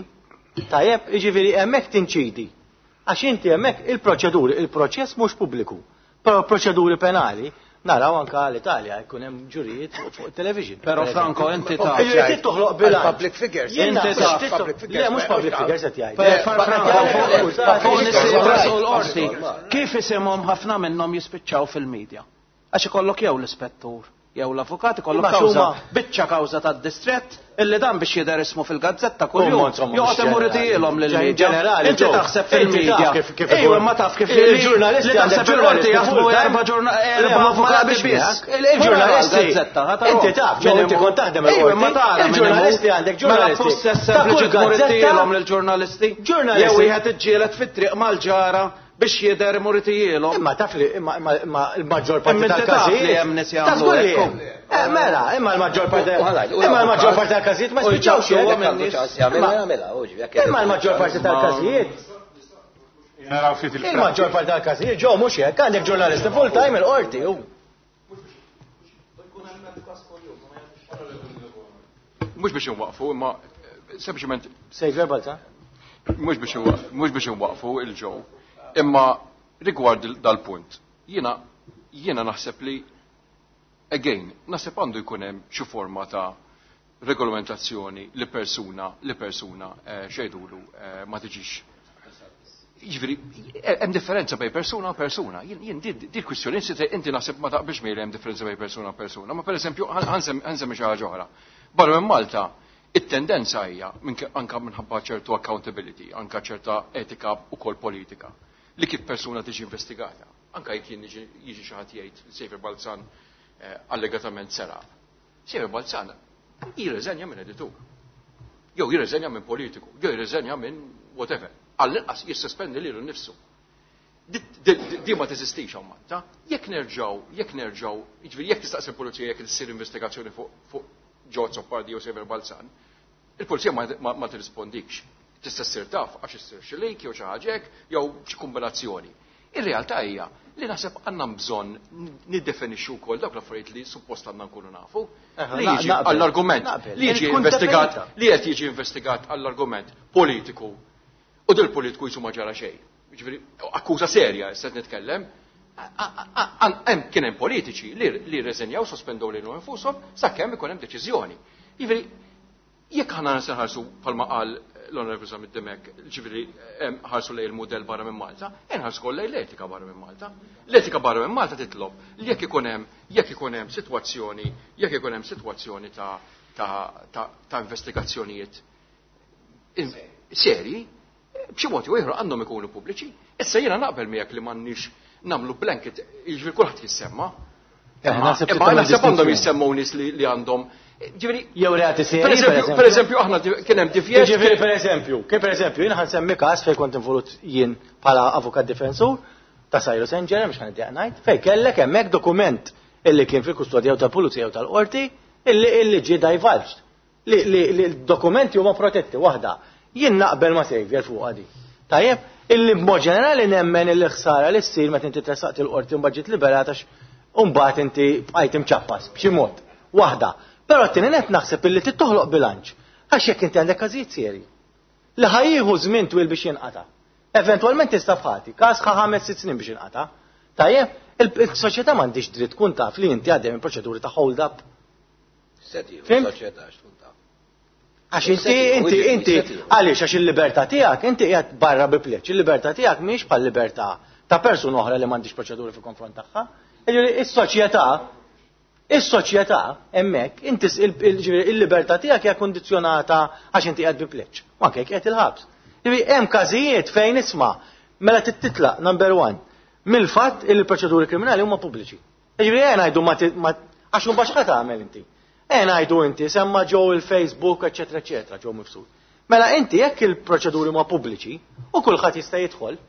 tajjeb, jiġifieri hemmhekk tinċidi. Għax inti hemmhekk il-proċeduri, il-proċess mhux pubbliku. Però proċeduri penali naraw anka l-Italja jkun hemm ġurijiet fuq television. Però Franco inti taf. Trid toħloq bilanċ. Public figures. Inti taf. Le mhux public figures qed jgħid. Fuq nies li jitresqu l-qorti, kif isimhom ħafna minnhom jispiċċaw fil-medja? Għax ikollok jew l-ispettur jew l-avukat ikollok kawża, biċċa kawża tad-distrett illi dan biex jidher ismu fil-gazzetta kuljum. Joqgħod imur itielhom lill-media. Inti taħseb fil-media. Ejwa ma taf kif il-ġurnalisti taħseb il-qorti jaħdmu erba' erba' avukati biss. Il-ġurnalisti. Inti taf, ġew inti kont taħdem il-qorti. Il-ġurnalisti għandek ġurnalisti. Mela tmur itielhom lill-ġurnalisti. Jew wieħed iġġieled fit-triq mal-ġara biex jidher imur itielhom. Imma taf li imma imma l-maġġor parti tal-każijiet. Hemm nies jagħmlu hekk. Mela, imma l-maġġor parti imma l-maġġor parti tal-każijiet ma spiċċawx hekk. Imma l-maġġor parti tal-każijiet. Naraw ftit il-maġġor parti tal-każijiet ġew mhux hekk, għandek ġurnalisti full time il-qorti. Mhux biex inwaqfu, imma sempliċement Sejver Balza. Mhux biex mhux biex inwaqfu il-ġew. Imma rigward dal-punt, jiena jiena naħseb li again, naħseb għandu jkun hemm xi forma ta' regolamentazzjoni li persuna li persuna xejdulu ma tiġix. Jiġifieri hemm differenza bejn persuna u persuna. Jien di kwistjoni inti naħseb ma taqbilx miegħi hemm differenza bejn persuna u persuna, ma pereżempju ħansemmi xi ħaġa oħra. Barra minn Malta, it-tendenza hija anka minħabba ċertu accountability, anka ċerta etika ukoll politika, li kif persuna tiġi investigata. Anka jekk jien jiġi xi ħadd jgħid Xavier Balzan allegatament seraq. Xavier Balzan jirreżenja minn editur. Jew jirreżenja minn politiku, jew jirreżenja minn whatever. Għall-inqas jissospendi lilu nnifsu. Di ma teżistix hawn Malta. Jekk nerġgħu, jekk nerġgħu, jiġifieri jekk tistaqsi l-pulizija jekk issir investigazzjoni fuq George Azzopardi jew Xavier Balzan, il-pulizija ma tirrispondikx. Tista' ssir taf għax issir xi link jew xi ħaġa hekk jew xi kombinazzjoni. Ir-realtà hija li naħseb għandna bżonn niddefinixxu wkoll dawk l-affarijiet li suppost għandna nkunu nafu. Li jiġi għall-argument li jiġi investigat li qed jiġi investigat għall-argument politiku. U dil politiku jisu ma ġara xejn. Jiġifieri akkuża serja issa qed nitkellem. Hemm kien hemm politiċi li rreżenjaw sospendew lilhom infushom sakemm ikun hemm deċiżjoni. Jiġifieri jekk aħna se nħarsu bħalma qal l-Onorevoli Zammit Dimech, ġifieri ħarsu lejn il-mudell barra minn Malta, inħarsu kollha lejn l-etika barra minn Malta. L-etika barra minn Malta titlob li jekk ikun hemm jekk ikun hemm sitwazzjoni, jekk ikun hemm sitwazzjoni ta' ta' ta', ta investigazzjonijiet serji, b'xi mod jew ieħor għandhom ikunu pubbliċi. Issa jiena naqbel miegħek li m'għandniex nagħmlu blanket, jiġifieri kulħadd jissemma. Imma naħseb għandhom jissemmu nies li għandhom. Ġifieri jew reati serji. Per eżempju, aħna kien hemm divjet. Ġifieri per eżempju, kien per eżempju, jiena ħansemmi każ fejn kont involut jien bħala avukat difensur ta' Cyrus Engerer, mhux ħaniddeq ngħid, fejn kellek hemmhekk dokument illi kien fil-kustodja tal-pulizija u tal-qorti illi illi ġie divulged. Li li l-dokumenti huma protetti waħda. Jien naqbel ma' Xavier fuq di. Tajjeb, illi b'mod ġenerali nemmen illi ħsara li ssir meta inti tressaqt il-qorti u mbagħad ġiet liberata u mbagħad inti bqajt imċappas b'xi mod. Waħda. Però t-tieni net naħseb illi trid toħloq bilanċ. Għax jekk inti għandek każijiet serji li ħajjieħu żmien twil biex jinqata'. Eventwalment tista' f'ħati, każ ħa ħames sitt snin biex jinqata'. Tajjeb, il-soċjetà m'għandix dritt tkun taf li inti għaddej minn proċeduri ta' hold up. Soċjetà tkun taf. Għax inti inti inti għaliex għax il-libertà tiegħek inti qiegħed barra bi pleċ, il-libertà tiegħek mhix bħal libertà ta' persuna oħra li m'għandix proċeduri fil-konfront tagħha. Is-soċjetà Is-soċjetà hemmhekk inti il-libertà tiegħek hija kondizzjonata għax inti qiegħed bi pleċ, u anke jekk qiegħed il-ħabs. Jiġifieri hemm każijiet fejn isma' mela titlaq number one mill-fatt li l-proċeduri kriminali huma pubbliċi. Jiġifieri ejja ngħidu ma għax mbagħad x'qed tagħmel inti. Ejja ngħidu inti semma ġew il-Facebook eċetera eċetera ġew mifsud. Mela inti jekk il-proċeduri huma pubbliċi u kulħadd jista' jidħol,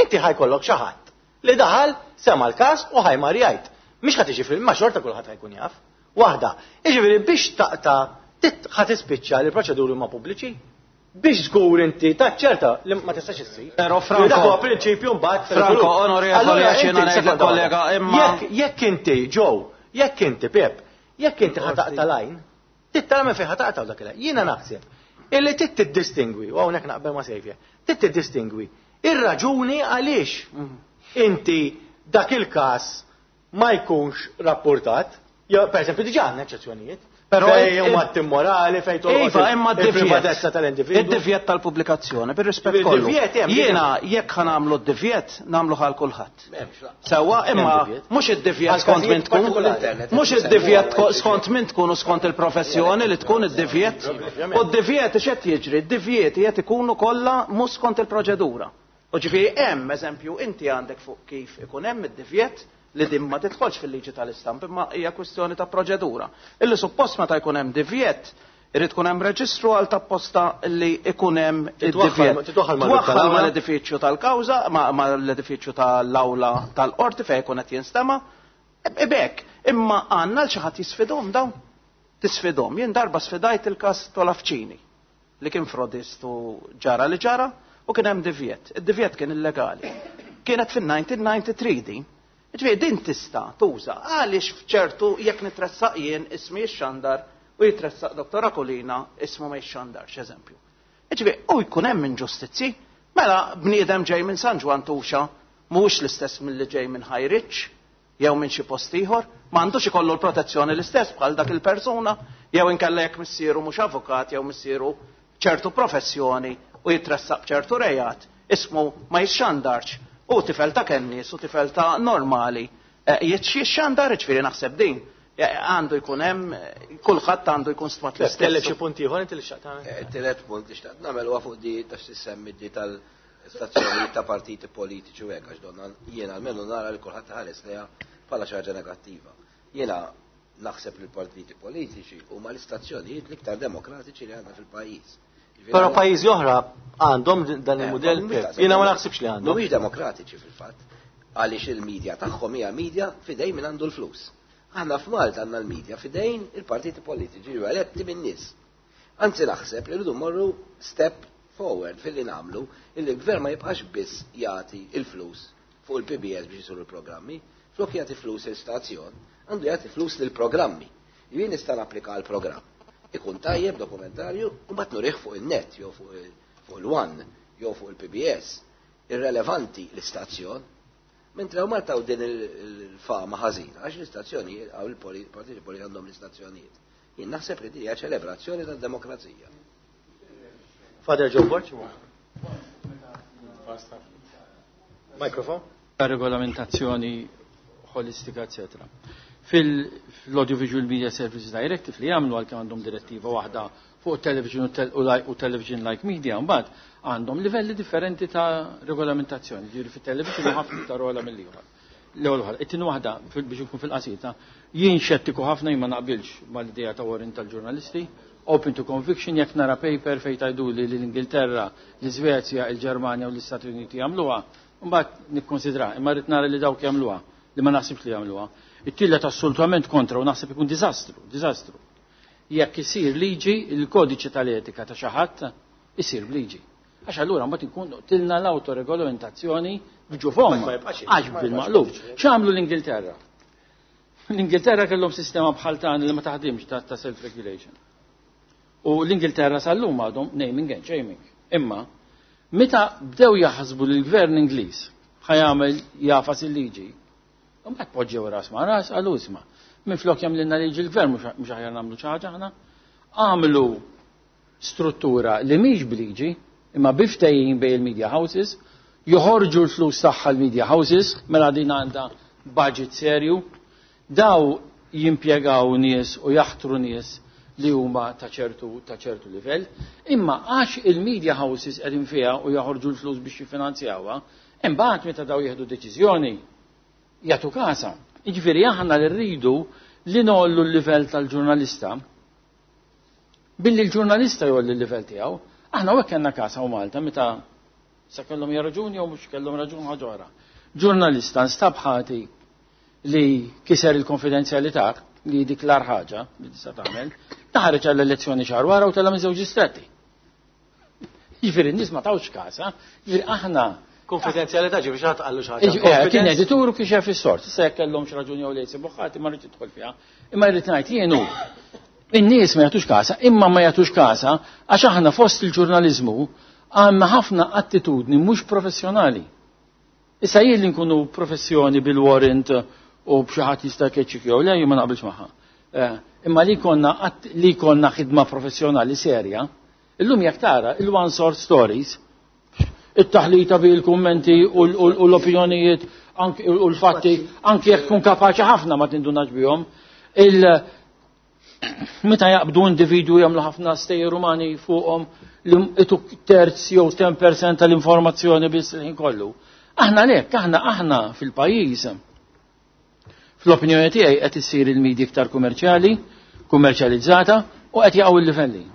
inti ħajkollok xi ħadd li daħal sema l-każ u ħajmar jgħid. Mhix ħadd jiġi fil ma xorta kulħadd ħajkun jaf. Waħda, jiġifieri biex taqta' ħa tispiċċa li l-proċeduri huma pubbliċi biex żgur inti taċċerta li ma tistax issir. Però Franco, dak huwa prinċipju mbagħad Franco, onorevoli, għax jiena ngħid kollega imma jekk inti Joe, jekk inti Pep, jekk inti ħa taqta' lajn, tittara minn fejn ħa taqta' dak il-lajn. Jiena naħseb illi trid tiddistingwi, u hawnhekk naqbel ma' Xavier, trid tiddistingwi ir-raġuni għaliex inti dak il-każ ma jkunx rapportat, jo, per esempio, diġà għandna eċċezzjonijiet. Però fejn huma immorali, fejn tolqot Iva, imma il-privatezza tal-individwu. Id-divjet tal-pubblikazzjoni, bir-rispett kollu. Jiena jekk ħa nagħmlu d-divjet, nagħmlu ħal kulħadd. Sewwa, imma mhux id-divjet skont min tkun, mhux id-divjet skont min tkun u skont il-professjoni li tkun id-divjet. U d-divjet x'qed jiġri? Id-divjet qed ikunu kollha mhux skont il-proċedura. U ġifieri hemm eżempju inti għandek fuq kif ikun hemm id-divjet li din ma tidħolx fil-liġi tal-istamp, imma hija kwistjoni ta' proċedura. Illi suppost meta jkun hemm divjet, irid tkun hemm reġistru għal tapposta li ikun hemm id-divjet. Titwaħħal mal-edifiċju tal-kawża, mal-edifiċju tal-awla tal-qorti fejn ikun qed jinstema'. Ebek, imma għandna l xi ħadd jisfidhom dawn. Tisfidhom. Jien darba sfidajt il-każ Tolafċini li kien frodist u ġara li ġara u kien hemm divjet. Id-divjet kien illegali. Kienet fin-nineteen ninety-three din. Ġifieri din tista' tuża għaliex f'ċertu jekk nitressaq jien ismi jixxandar u jitressaq Doktor Aquilina ismu ma jixxandarx eżempju. Ġifieri u jkun hemm inġustizzi, mela bniedem ġej minn San Ġwann Tuxa mhuwiex l-istess milli ġej minn Ħajriċ jew minn xi post ieħor, m'għandux ikollu l-protezzjoni l-istess bħal dak il-persuna, jew inkella jekk missieru mhux avukat jew missieru ċertu professjoni u jitressaq b'ċertu rejat, ismu ma jixxandarx. U tifel ta' kennis u tifel ta' normali jitxandar, ġifieri naħseb din għandu jkun hemm kulħadd għandu jkun stmat l-istess. Kellek xi punt ieħor inti li xtaqt tagħmel? Tielet punt li xtaqt nagħmel huwa fuq di ta' x'tissemmi di tal-istazzjonijiet ta' partiti politiċi u hekk għax donna jiena almenu nara li kulħadd ħares lejha bħala xi ħaġa negattiva. Jiena naħseb li l-partiti politiċi huma l-istazzjonijiet l-iktar demokratiċi li għandna fil-pajjiż. Però pajjiżi oħra għandhom dan il-mudell, jiena ma naħsibx li għandhom. Mhumiex demokratiċi fil-fatt, għaliex il-medja tagħhom hija medja fidejn min għandu l-flus. Aħna f'Malta għandna l-medja fidejn il-partiti politiċi ju eletti min-nies. Anzi naħseb li rridu mmorru step forward fil-li nagħmlu illi l-gvern ma jibqax biss jagħti il-flus fuq il-P B S biex isiru l-programmi, flok jagħti flus il-stazzjon, għandu jagħti flus lill-programmi. Jien nista' napplika għall-programm. Ikun tajjeb dokumentarju u mbagħad nurih fuq in-net jew fuq il-One jew fuq il-P B S. Irrelevanti l-istazzjon. Mentre hawn Malta din il-fama ħażina għax l-istazzjonijiet hawn il-partiti politiċi għandhom l-istazzjonijiet. Jien naħseb li din hija ċelebrazzjoni tad-demokrazija. Father Joe Borg. Mikrofon. Regolamentazzjoni ħolistika, eccetera. Fil-Audiovisual Media Services Directive li jagħmlu għalkemm għandhom direttiva waħda fuq television u television like media, mbagħad għandhom livelli differenti ta' regolamentazzjoni. Ġifieri fit-television ħafna iktar ogħla mill-ieħor. L-ewwel waħda. It-tieni waħda biex inkun fil-qasita, jien xettiku ħafna, jien ma naqbilx mal-idea ta' warrant tal-ġurnalisti, open to conviction. Jekk nara paper fejn tgħiduli li l-Ingilterra, l-Iżvezja, il-Ġermanja u l-Istati Uniti jagħmluha, mbagħad nikkonsidra, imma rrid nara li dawk jagħmluha, li ma naħsibx li jagħmluha. It-tielet, assolutament kontra u naħseb ikun diżastru, diżastru. Jekk isir liġi, il-kodiċi tal-etika ta' xi ħadd isir b'liġi. Għax allura mbagħad inkun tilna l-autoregolamentazzjoni b'ġufom. Għax bil-maqlub. X'għamlu l-Ingilterra? L-Ingilterra kellhom sistema bħal tagħna li ma taħdimx ta' self-regulation. U l-Ingilterra sal-lum għadhom naming and shaming. Imma meta bdew jaħsbu li l-gvern Ingliż ħa jagħmel jagħfas il-liġi, mbagħad poġġew ras ma' ras, qalu, "Isma', minflok jagħmlilna liġi l-gvern, mhux aħjar nagħmlu xi ħaġa aħna?" Għamlu struttura li mhix b'liġi, imma bi ftehim bejn il-media houses, joħorġu l-flus tagħha l-media houses, mela din għandha budget serju, daw jimpjegaw nies u jaħtru nies li huma ta' ċertu ta' ċertu livell, imma għax il-media houses qegħdin fiha u joħorġu l-flus biex jiffinanzjawha, imbagħad meta daw jieħdu deċiżjoni jagħtu kasa. Jiġifieri aħna li rridu li ngħollu l-livell tal-ġurnalista billi l-ġurnalista jgħolli l-livell tiegħu. Aħna hekk kellna każ hawn Malta meta sa kellhom raġuni jew mhux kellhom raġun ħaġa oħra. Ġurnalista nstab ħati li kiser il-konfidenzjalità, li dik l ħaġa li tista' tagħmel, taħareġ għall-elezzjoni xahar wara u tela' minn żewġ distretti. Jiġifieri n-nies ma tawx kasa, jiġifieri aħna Konfidenzjalità ġifieri xi ħadd qallu xi ħaġa. Eh, kien editur u kixef is-sors, issa jekk kellhom xi raġuni jew le jsibu ħati, ma rridx idħol fiha. Imma rrid ngħid jienu in-nies ma jagħtux kasa, imma ma jagħtux kasa għax aħna fost il-ġurnaliżmu għandna ħafna attitudni mhux professjonali. Issa jien li nkunu professjoni bil-warrant u b'xi ħadd jista' jkeċċik jew le, jien ma naqbilx magħha. Eh, imma li konna li konna ħidma professjonali serja, illum jekk tara il-one source stories, it-taħlita bi l-kummenti u l-opinjonijiet u l-fatti, anki jekk tkun kapaċi ħafna ma tindunax bihom. Il meta jaqbdu individwu jagħmlu ħafna stejjer umani fuqhom li ituk terz jew ten percent tal-informazzjoni biss il-ħin kollu. Aħna lek, aħna aħna fil-pajjiż. Fl-opinjoni tiegħi qed issir il-media iktar kummerċjali, kummerċjalizzata u qed jaqgħu il-livelli.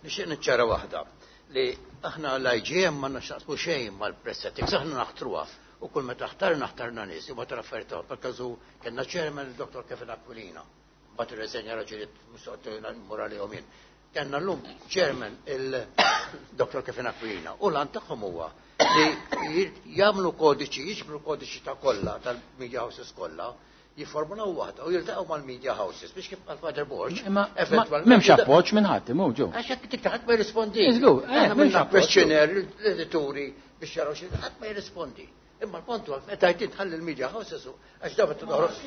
Nixtieq niċċara waħda li aħna l-I G M ma nxaqsmu xejn mal-press ethics, aħna naħtruha u kull meta ħtarna ħtarna nies u ma trafferta per każu kellna chairman il-Dottor Kevin Aquilina, mbagħad irreżenja raġunijiet morali għom jien. Kellna llum chairman il-Dottor Kevin Aquilina u l-għan tagħhom huwa li jagħmlu kodiċi, jiġbru kodiċi ta' kollha tal-media houses kollha, jiformulaw waħda u jiltaqgħu mal-media houses biex kif qal Father Borg. Imma m'hemmx appoġġ minn ħadd imhu ġew. Għax hekk dik ħadd ma jirrispondi. Iżgur, eh, Aħna m'hemmx minna appoġġ. questionnaire l-edituri biex jaraw xi ħadd ma jirrispondi. Imma l-punt huwa meta jtid tħalli l-media houses għax daw meta toħroġ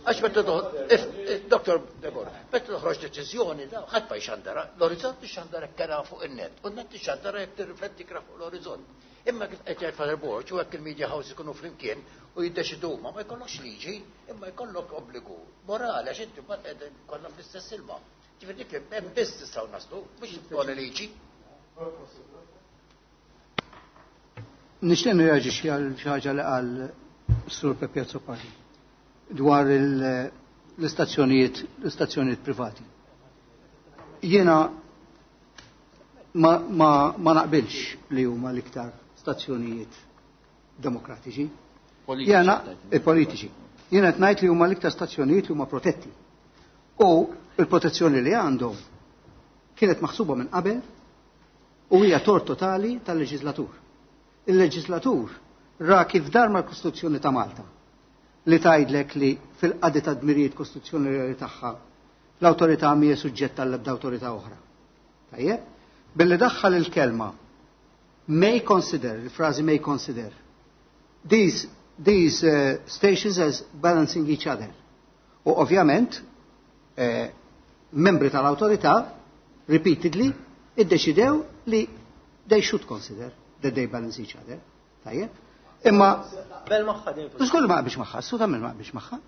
għax meta toħroġ, Dottor Debor, meta toħroġ deċiżjoni daw ħadd ma jxandara, l-Orizzont ixandara kera fuq in-net, u n-net ixandara jekk tirrifletti kra fuq l-Orizzont. Imma kif qed jgħid Father Borg, u hekk il-media houses ikunu flimkien u jiddeċidu huma, ma jkollokx liġi, imma jkollok obbligu morali għax inti mbagħad qegħdin kollha fl-istess ilma. Ġifieri dik hemm biss tistgħu naslu, mhux tkun liġi. Nixtieq nirreaġixxi għal xi ħaġa li qal Sur Pepe Azzopardi dwar il- l-istazzjonijiet l-istazzjonijiet privati. Jiena ma, ma, ma naqbilx li huma l-iktar stazzjonijiet demokratiċi. Jiena eh, politiċi. Jiena qed ngħid li huma l-iktar stazzjonijiet li huma protetti. U il-protezzjoni li għandhom kienet maħsuba minn qabel u hija tort totali tal-leġislatur. Il-leġislatur ra kif dar mal-Kostituzzjoni ta' Malta li tgħidlek li fil-qadi ta' dmirijiet kostituzzjonali tagħha l-awtorità mhija suġġetta għall ebda awtorità oħra. Tajjeb? Billi daħħal il-kelma may consider, il-frażi may consider, these, these uh, stations as balancing each other. U ovvjament, eh, membri tal-awtorità repeatedly iddeċidew li they should consider that they balance each other. Tajjeb? Imma Bel magħha din Żgur ma qbilx magħha, assolutament ma qbilx magħha.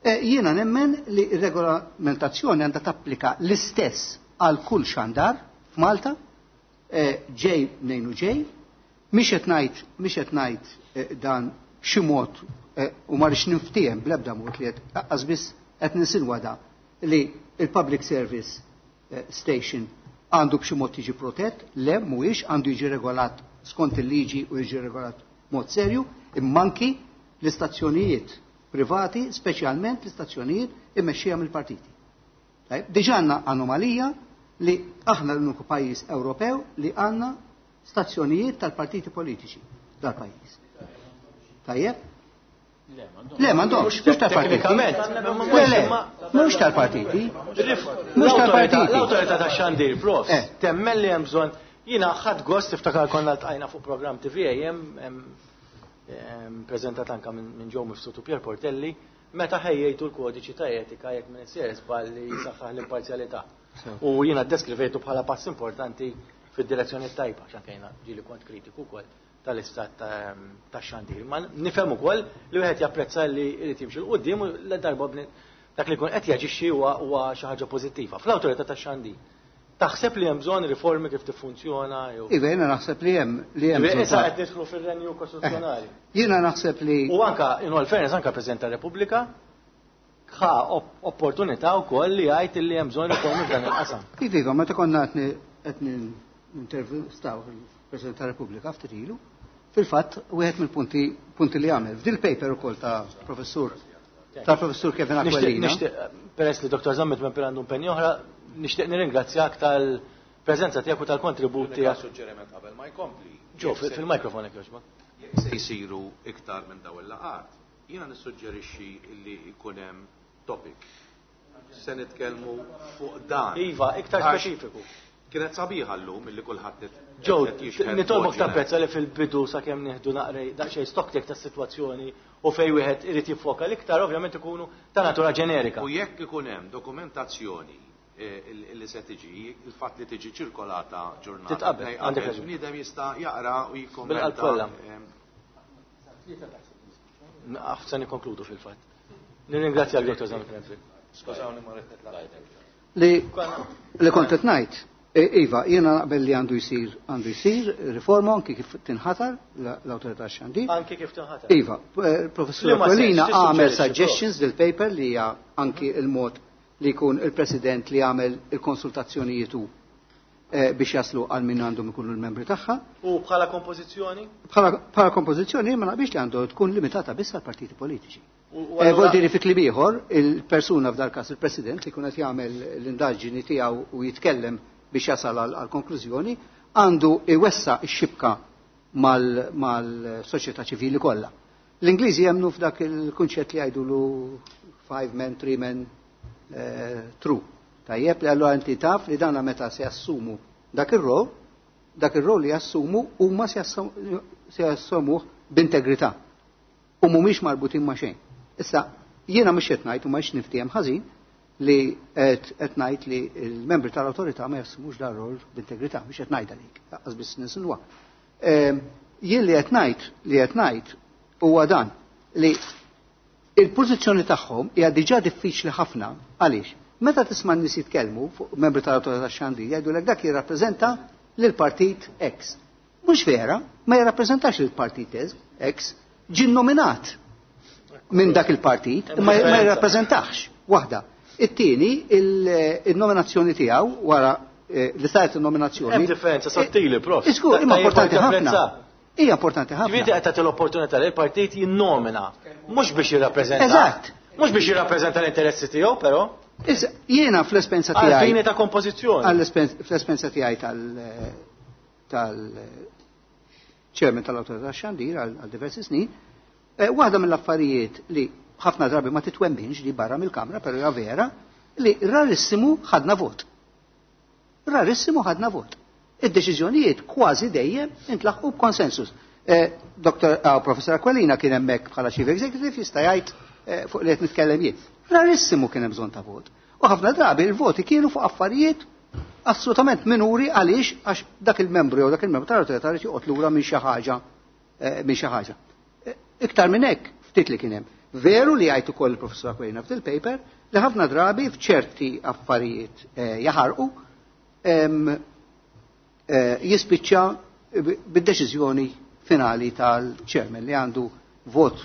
Eh, jiena nemmen li r-regolamentazzjoni għandha tapplika l-istess għal kull xandar f'Malta, eh, ġej mnejn u ġej, mhix qed ngħid mhix qed ngħid eh, dan b'xi mod u ma rridx niftiehem bl-ebda mod li qed aqqas biss qed ninsinwa da li il-public service station għandu b'xi mod jiġi protett, le mhuwiex għandu jiġi regolat skont il-liġi u jiġi regolat mod serju, imma anki l-istazzjonijiet privati, speċjalment l-istazzjonijiet immexxija mill-partiti. Tajjeb, diġà għandna anomalija li aħna l-uniku pajjiż Ewropew li għandna stazzjonijiet tal-partiti politiċi dal-pajjiż. Tajjeb? Le, m'għandhomx, mhux tal-partiti. Le, le, mhux tal-partiti. Mhux tal-partiti. L-awtorità tax-xandir, prof, temmen li hemm bżonn jiena ħadd gost tiftakar konna ltqajna fuq programm T V A M preżentat anka minn Joe Mifsud u Pier Portelli, meta ħejjejtu l-kodiċi ta' etika jekk minn isir żball li jsaħħaħ l-imparzjalità. U jiena ddeskrivejtu bħala pass importanti fid-direzzjoni tajba, għax anke jiena ġieli kont kritiku wkoll tal-istat tax-xandir. Ma nifhem ukoll li wieħed japprezza li jrid jimxi 'l quddiem u l darba dak li jkun qed jaġixxi huwa xi ħaġa pożittiva. Fl-awtorità tax-xandir taħseb li hemm bżonn riformi kif tiffunzjona jew Iva, jiena naħseb li hemm li hemm bżonn Issa ta' qed nidħlu fir-renju kostituzzjonali. Eh, jiena naħseb li U anka in all fairness anka President tar-Repubblika ħa op-, opportunità wkoll li jgħid li hemm bżonn riformi f'dan il-qasam. Iva, iva, meta konna qed qed nintervistaw il-President tar-Repubblika ftit ilu, fil-fatt wieħed mill-punti punti li għamel f'dil paper ukoll ta' professur ta' professur Kevin Nixtieq, Aquilina. nixtieq, peress li Doktor Zammit Mampel għandu impenn oħra, nixtieq nirringrazzjak tal-preżenza tiegħek u tal-kontribut Unika tiegħek. suġġeriment qabel ma jkompli. Ġo, fil-, fil-mikrofon jekk jogħġbok. Jekk se jsiru iktar minn dawn il-laqgħat, jiena nissuġġerixxi li jkun hemm topic. Se nitkellmu fuq dan. Iva, iktar Għax speċifiku. Kienet sabiħa llum illi kulħadd nit- Ġo, qed jixhed nitolbok mod tapprezza li fil-bidu sakemm nieħdu naqrej daqsxejn stock take tas-sitwazzjoni u fejn wieħed irid jiffoka l-iktar ovvjament ikunu ta' natura ġenerika. U jekk ikun hemm dokumentazzjoni, eh, il-, li se tiġi, il-fatt li tiġi ċirkolata ġurnata Titqabel, tnejn għandek qabel, raġun. bniedem jista' jaqra u jikkommenta, Bil-qalb kollha. ehm, Naqaf se nikkonkludu fil-fatt. Nirringrazzjak Dottor Zammit Mampel. Skużawni ma rrid nitlaq. Li, li kont qed ngħid, e, iva, jiena naqbel li għandu jsir, għandu jsir riforma anki kif tinħatar la-, l-awtorità xandir. Anki kif tinħatar. Iva, eh, professur Li ma Aquilina sens, għamel tissuġġerixxi, prof. suggestions del paper li hija anki il-mod li jkun il-president li għamel il-konsultazzjonijiet u, eh, biex jaslu għal min għandhom ikunu l-membri tagħha. U bħala kompożizzjoni? Bħala, bħala kompożizzjoni ma naqbilx li għandu tkun limitata biss għal partiti politiċi. U, u Eh, allura Vuol dire fi kliem ieħor, il-persuna f'dal każ il-president li jkun qed jagħmel l-indaġini tiegħu u jitkellem biex jasal għal, għal konklużjoni, għandu iwessa x-xibka mal-, mal-soċjetà ċivili kollha. L-Ingliżi jemmnu f'dak il-kunċett li jgħidulu five men, three men, eh, true. Tajjeb li allura inti taf li dana meta se jassumu dak ir-rol, dak ir-rol li jassumu huma se jassum-, se jassumuh b'integrità u mhumiex marbutin ma' xejn. Issa, jiena mhux qed ngħid u ma niftiehem ħażin li qed, qed ngħid li l-membri tal-awtorità ma jassumux dar rol b'integrità, mhux qed ngħid għalik, lanqas biss ninsinwa. Ehm, jien li qed ngħid li qed ngħid huwa dan li il-pożizzjoni tagħhom hija diġà diffiċli ħafna għaliex meta tisma' n-nies jitkellmu fuq membri tal-awtorità tax-xandir jgħidulek dak jirrappreżenta lil partit X. Mhux vera, ma jirrappreżentax lil partit X, ġie nominat minn dak il-partit, Hemm ma, ma differenza. jirrappreżentax. Waħda. It-tieni, il-, il-nominazzjoni tiegħu wara, eh, li saret il-nominazzjoni. Hemm differenza sottili, prof. Isku, imma Ta' importanti jibqa' ħafna. tapprezza. Hija importanti ħafna. Ġifieri qed tagħti l-opportunità li l-partit jinnomina, mhux biex jirrappreżenta. Eżatt. Mhux biex jirrappreżenta l-interessi tiegħu, però. Issa, jiena fl-espenza tiegħi. Għal fini ta' kompożizzjoni. Għall-espen-, fl-espenza tiegħi tal-, tal-chairman tal-Awtorità tax-Xandir għal, għal diversi snin, eh, waħda mill-affarijiet li ħafna drabi ma titwemminx li barra mill-kamra, però hija vera, li rarissimu ħadna vot. Rarissimu ħadna vot. Id-deċiżjonijiet kważi dejjem intlaħqu b'konsensus. Eh, Doktor, ah, Professor Aquilina kien hemmhekk bħala Chief Executive jista' jgħid, eh, fuq li qed nitkellem jien. Rarissimu kien hemm bżonn ta' vot. U ħafna drabi il-voti kienu fuq affarijiet assolutament minuri għaliex għax dak il-membru jew dak il-membru tal-awtorità jrid joqgħod lura minn xi ħaġa minn xi ħaġa. Iktar minn hekk ftit li kien hemm. Veru li jgħid ukoll il-Professur Aquilina fil-paper li ħafna drabi f'ċerti affarijiet jaħarqu jispiċċa bid-deċiżjoni finali tal-chairman li għandu vot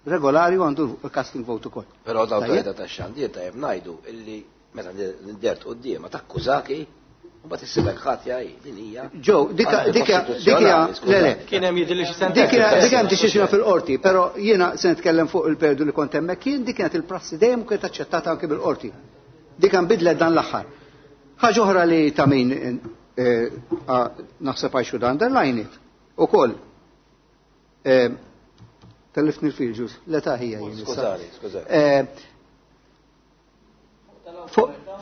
regolari u għandu casting vote ukoll. Però l-awtorità tax-xandir tajjeb ngħidu illi meta ndert quddiemha takkużaki u mbagħad issibek ħatja hi din hija. Ġew, dika dika dika le le. Kien hemm jidhirli xi sentenza. Dik hemm deċiżjoni fil-qorti, però jiena se nitkellem fuq il-periodu li kont hemmhekk jien dik kienet il-prassi dejjem u kienet aċċettata anke bil-qorti. Dik nbidlet dan l-aħħar. Ħaġa oħra li ta' min naħseb I should underline it. Ukoll tellifni l-fil ġus, l-età hija jien. Skużani, skużani.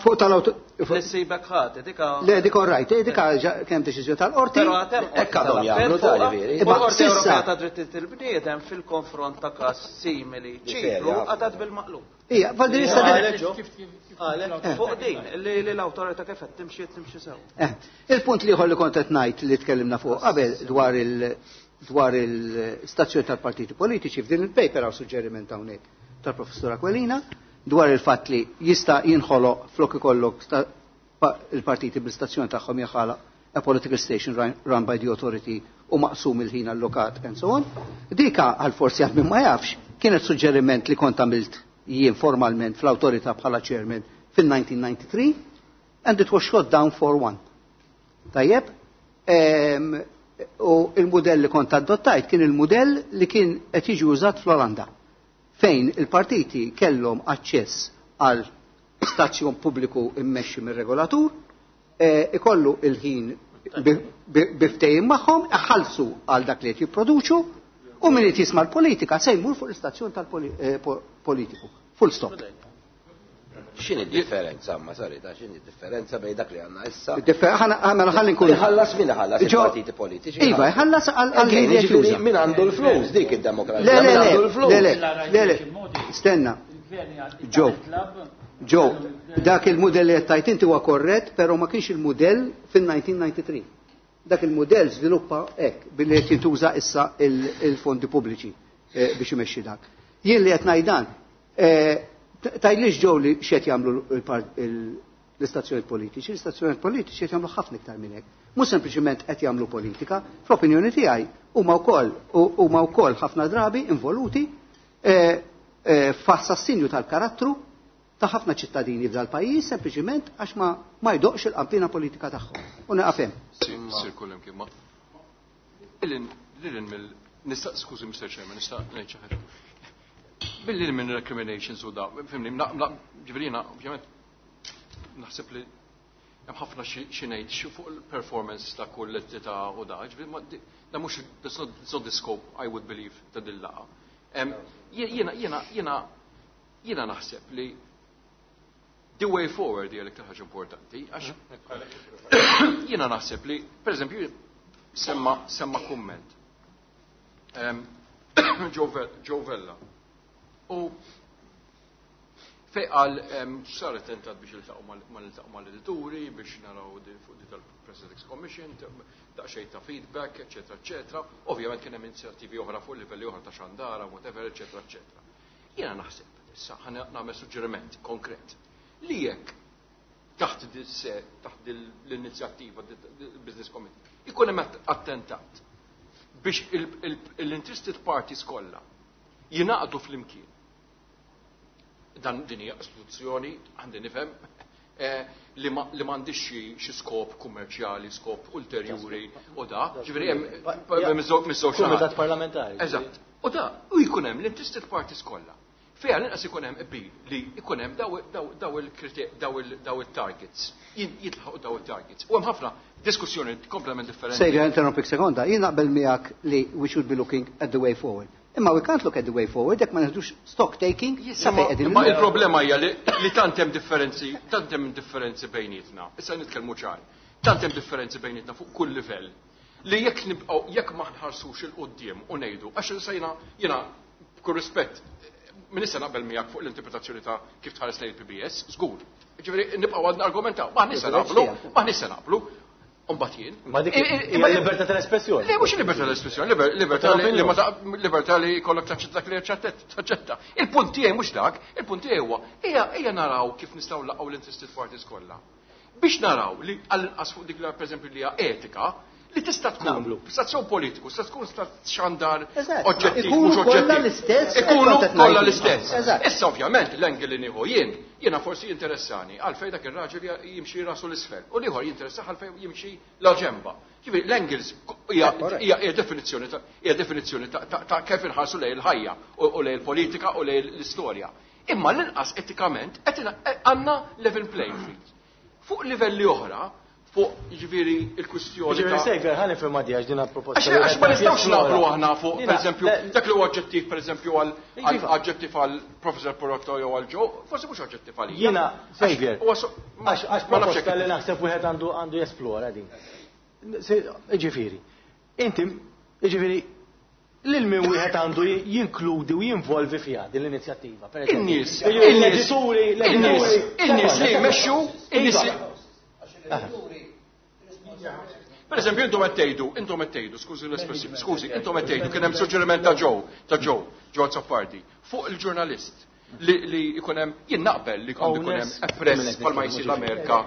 Fuq tal-auto. L-sibek ħati, dika. Le, dik all right, dika kemm deċiżjoni tal-qorti. Però għatem hekk għadhom jagħmlu tal-veri. Il-Qorti Ewropea ta' Drittijiet il-Bniedem fil-konfront ta' każ simili Ċipru għatat bil-maqlub. Ija, Valdirista Fuq din, li l-awtorità kif qed timxi timxi sew. Il-punt li li kont qed ngħid li tkellimna fuq qabel dwar il dwar il-stazzjoni tal-partiti politiċi f'din il-paper hawn suġġeriment hawnhekk tal-Professur Aquilina dwar il-fatt li jista' jinħoloq flok ikollok il-partiti bil-stazzjoni tagħhom jaħalaq a political station run by the authority u maqsum il-ħin allokat and so on. Dika għal forsi għal min ma jafx kienet suġġeriment li kont għamilt jien formalment fl-awtorità bħala chairman fil-nineteen ninety-three and it was shot down for one. Tajjeb, u il-modell li kont adottajt kien il-modell li kien qed jiġi użat fl-Olanda, fejn il-partiti kellhom aċċess għal stazzjon pubbliku immexxi mir-regolatur, ikollu il-ħin biftejn magħhom, iħallsu għal dak li qed jipproduċu, u min qed jisma' l-politika se jmur fuq l-istazzjon tal-politiku. Full stop. X'inhi d-differenza, ma sarita, x'inhi d-differenza bejn dak li għandna issa? Mela ħalli nkun. Iħallas min iħallas il-partiti politiċi? Iva, iħallas għal min qed juża. Min għandu l-flus dik id-demokrazija. Le, le, le, le, le, stenna. Ġo, Ġo, dak il-mudell li qed tajt inti huwa korrett, però ma kienx il-mudell fin-nineteen ninety-three. Dak il-mudell żviluppa hekk billi qed jintuża issa il-fondi pubbliċi biex imexxi dak. Jien li qed ngħid dan, tajlix ġew li x'qed jagħmlu l-istazzjonijiet politiċi, l-istazzjonijiet politiċi qed jagħmlu ħafna iktar minn hekk. Mhux sempliċiment qed jagħmlu politika, fl-opinjoni tiegħi huma wkoll huma wkoll ħafna drabi involuti f'assassinju tal-karattru ta' ħafna ċittadini f'dal pajjiż sempliċiment għax ma ma jdoqx il-qampina politika tagħhom. U nieqaf hemm. Sir kullem kien ma. Lilin mill nista' skużi Mister Chairman, nista' ngħid xi ħaġa. Billi minn recriminations u da, fimni, ġifieri jiena ovvjament naħseb li hemm ħafna xi ngħid xi fuq il-performance ta' kull entità u da, ġifieri da mhux that's not, it's not the scope I would believe ta' din laqgħa. Jiena jiena jiena jiena naħseb li the way forward hija l-iktar ħaġa importanti, għax jiena naħseb li, per eżempju, semma semma kumment. Joe Vella. U fej qal sar attentat biex iltaqgħu mal-iltaqgħu mal-edituri biex naraw fuq di tal-Press Ethics Commission, daqsxejn ta' feedback, eċetera, eċetera. Ovvjament kien hemm inizjattivi oħra fuq livelli oħra ta' xandara, whatever, eċetera, eċetera. Jiena naħseb, issa ħa nagħmel suġġeriment konkret, li jekk taħt taħt l-inizjattiva Business Committee ikun hemm attentat biex l-interested parties kollha jingħaqdu flimkien. Dan din hija istituzzjoni għandi nifhem li m'għandix xi skop kummerċjali, skop ulterjuri u da, ġifieri hemm miż-żewġ Kumitat parlamentari. Eżatt. U da, u jkun hemm l-interested parties kollha. Fejn l-inqas ikun hemm qbil li ikun hemm daw il il-targets, jitlaħqu daw il-targets. U hemm ħafna diskussjoni kompletament differenti. Sejra interrompik sekonda, jien naqbel miegħek li we should be looking at the way forward. Imma we can't look at the way forward jekk ma neħdux stock taking sa fejn qegħdin. Imma il-problema hija li tant hemm differenzi, tant hemm differenzi bejnietna. Issa nitkellmu ċar. Tant hemm differenzi bejnietna fuq kull livell li jekk nibqgħu jekk ma nħarsux il quddiem u ngħidu għax sejna jiena b'kull rispett Min issa naqbel miegħek fuq l-interpretazzjoni ta' kif tħares lejn il-P B S, żgur. Ġifieri nibqgħu għadna argumentaw, ma nista naqblu, ma nista naqblu. Umbagħad jien. Ma dik hija libertà tal-espressjoni. Le, mhux libertà tal-espressjoni, libertà li ma libertà li jkollok taċċetta dak li taċċetta. Il-punt tiegħi mhux dak, il-punt tiegħi huwa ejja ejja naraw kif nistgħu laqgħu l-interested parties kollha. Biex naraw li għall-inqas fuq dik li, pereżempju, li hija etika, li tista' tkun stazzjon politiku, tista' tkun xandar oġġettiv, mhux oġġettiv. Ikunu kollha l-istess. Issa ovvjament l-angle li nieħu jien, jiena forsi jinteressani għalfejn dak ir-raġel jimxi rasu l-isfel u l-ieħor jinteressa għalfejn jimxi la ġemba. Ġifieri l-angles hija definizzjoni hija definizzjoni ta' kif inħarsu lejn il-ħajja u lejn il-politika u lejn l-istorja. Imma l-inqas etikament għandna level playing field. Fuq livelli oħra, fuq, ġifieri, il-kwistjoni. Ġifieri Xavier, ħa nifhem għax din proposta. Għax ma nistgħux naqblu aħna fuq, pereżempju, dak li huwa oġġettiv, pereżempju, għal oġġettiv għal Professor Porotto jew għal Joe, forsi mhux oġġettiv għalija. Jiena, Xavier, għax proposta li naħseb wieħed għandu għandu jesplora din. Ġifieri, inti, ġifieri, lil min wieħed għandu jinkludi u jinvolvi fiha din l-inizjattiva. In-nies, l-edituri, in-nies, in-nies li jmexxu, in-nies. Per eżempju, intom qed tgħidu, intom qed tgħidu, skużi l-espressjoni, skużi, intom qed tgħidu kien hemm suġġeriment ta' Joe, ta' Joe, Joe Azzopardi, fuq il-ġurnalist li li jkun hemm, jien naqbel li jkun hemm press bħalma jsir l-Amerika.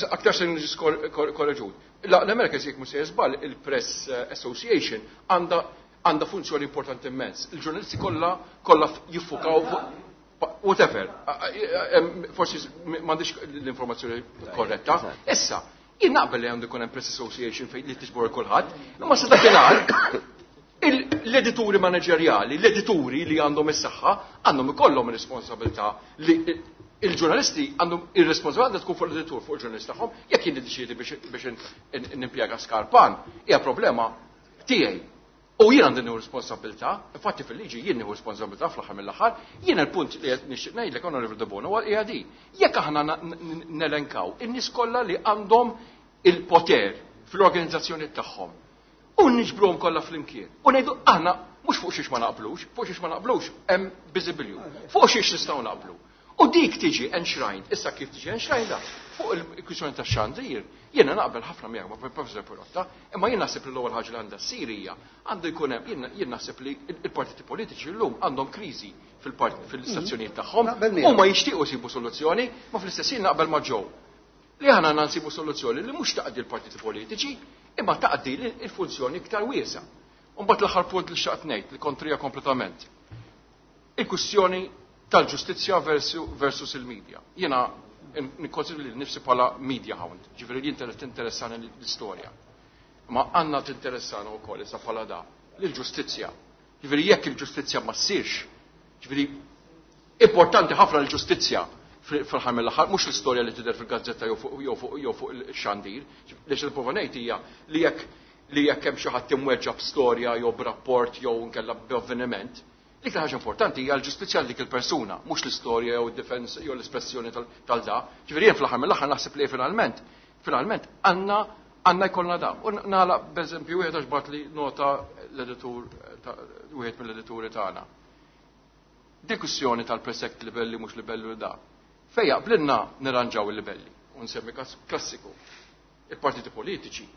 Aktar se niġi korreġut. L-Amerika, jekk mhux se żball, il-Press Association għandha għandha funzjoni importanti immens. Il-ġurnalisti kollha kollha jiffukaw fuq whatever. Forsi m'għandix l-informazzjoni korretta. Issa, jien naqbel li għandu jkun hemm Press Association fejn li tiġbor kulħadd, imma sa dakinhar l-edituri manageriali, l-edituri li għandhom is-saħħa, għandhom ikollhom responsabilità li il-ġurnalisti għandhom ir-responsabilità tkun fuq l-editur, fuq il-ġurnalist tagħhom. Jekk jien niddeċiedi biex nimpjega Skarpan, hija problema tiegħi. U jien għandi nieħu responsabilità, infatti fil-liġi jien nieħu responsabilità fl-aħħar mill-aħħar. Jien il-punt li qed nixtieq ngħidlek, Onorevole Debono, huwa hija di. Jekk aħna nelenkaw in-nies kollha li għandhom il-poter fl-organizzazzjoni tagħhom u niġbruhom kollha flimkien u ngħidu aħna mhux fuq xiex ma naqblux, fuq xiex ma naqblux hemm biżibilju, fuq xiex nistgħu naqblu. U dik tiġi enshrined, issa kif tiġi enshrined fuq il-kwistjoni ta' xandir, jiena naqbel ħafna miegħek ma' Professor Pirotta, imma jien naħseb li l-ewwel ħaġa li għandha ssir hija għandu jkun hemm, jien naħseb li il-partiti politiċi llum għandhom kriżi fil-istazzjonijiet tagħhom, huma jixtiequ jsibu soluzzjoni, ma fl-istess jien naqbel ma' Joe li aħna għandna nsibu soluzzjoni li mhux taqdi l-partiti politiċi, imma taqdi l-funzjoni iktar wiesa. Mbagħad l-aħħar punt li xtaqt ngħid li kontrija kompletament. Il-kwistjoni tal-ġustizzja versus il-media. Jiena nikkonsidri li nifsi bħala media hound, ġifieri li tinteressani l-istorja. Ma għandna tinteressana wkoll issa bħala da l-ġustizzja. Ġifieri jekk il-ġustizzja ma ssirx, ġifieri importanti ħafna l-ġustizzja fl-aħħar mill-aħħar, mhux l-istorja li tidher fil-gazzetta jew fuq il-xandir. Li xil ngħid hija li jekk li jekk hemm xi ħadd imweġġa b'storja jew b'rapport jew nkella b'avveniment, l-iktar ħaġa importanti hija l-ġustizzja dik il-persuna, mhux l-istorja jew id-defense jew l-espressjoni tal-da. Ġifieri jien fl-aħħar mill-aħħar naħseb li finalment, finalment għandna għandna jkollna da. U nagħlaq b'eżempju wieħed għax bagħatli nota l-editur, wieħed mill-edituri tagħna. Diskussjoni tal-Press Act, libelli mhux libelli da. Fejja blinna nirranġaw il-libelli, u nsemmi klassiku. Il-partiti politiċi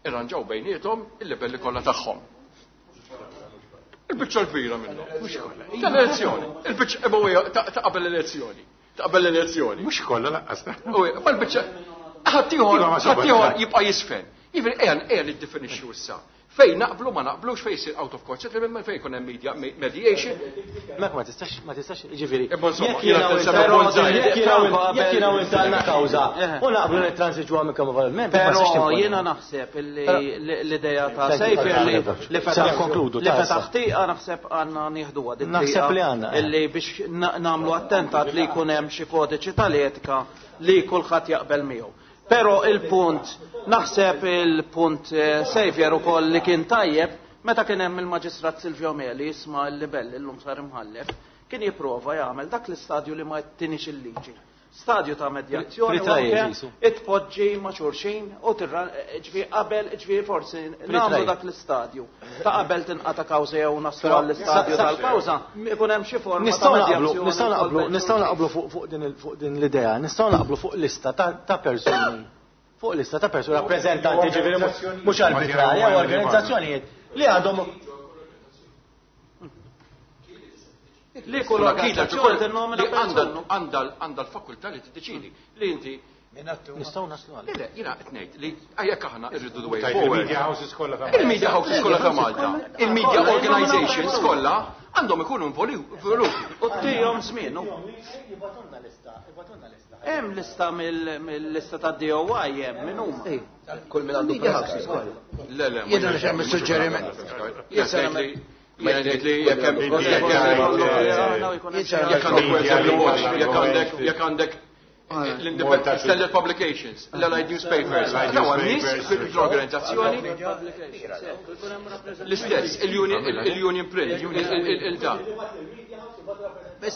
irranġaw bejniethom il-libelli kollha tagħhom. Il-biċċa l-kbira minnhom. Tal-elezzjoni. Il-biċċa ta' qabel l-elezzjoni. Ta' qabel l-elezzjoni. Mhux kollha lanqas. Ma l-biċċa ħaddieħor ħaddieħor jibqa' jisfen. Jiġifieri ejja ejja niddefinixxu issa. Fejn naqblu ma naqblux, fejn jsir out of court settlement, fejn jkun hemm media mediation. Mek ma tistax, ma tistax, ġifieri. Imma insomma, Jekk jiena jiena jekk jiena u inta għandna kawża u naqblu nitransiġuha minn kemm valment. Però jiena naħseb illi l-idea ta' Xavier li li fetaħ konkludu, li fetaħ tieqa, naħseb għandna nieħduha din Naħseb triqa li għandna, eh. illi biex nagħmlu attentat li jkun hemm xi kodiċi tal-etika li kulħadd jaqbel miegħu. Però il-punt, naħseb il-punt eh, Xavier ukoll li kien tajjeb, meta kien hemm il-Maġistrat Silvio Meli jisma' l-libell, illum sar imħallef, kien jipprova jagħmel dak l-istadju li ma tinix il-liġi. Stadju ta' medjazzjoni u anke itpoġġi ma' xulxin u ġifieri qabel ġifieri forsi nagħmlu dak l-istadju. Ta' qabel tinqata' kawża jew naslu għall-istadju tal-kawża, ikun hemm xi forma ta' medjazzjoni. Nistgħu naqblu, nistgħu naqblu fuq din l-idea, nistgħu naqblu fuq lista ta' persuni. Fuq lista ta' persuni rappreżentanti ġifieri mhux arbitrarja u organizzazzjonijiet li għandhom li kull organizzazzjoni tinnomina persuna għandha l-fakultà li tiddeċidi li inti nistgħu naslu għal. Le, jiena qed ngħid li jekk aħna rridu the way forward. Il-media houses kollha ta' Malta. Il-media houses kollha ta' Malta. Il-media organizations kollha għandhom ikunu involuti. U tihom żmien. Hemm lista mill-lista ta' D O I hemm min huma. Kull min għandu press. Le, le. Jiena nixtieq suġġeriment. Jien ngħid li jekk hemm jekk għandek jekk għandek l-Independent Standard Publications, l-Allied Newspapers, dawn nies fil-organizzazzjoni l-istess, il-Union Print, il-da. Le,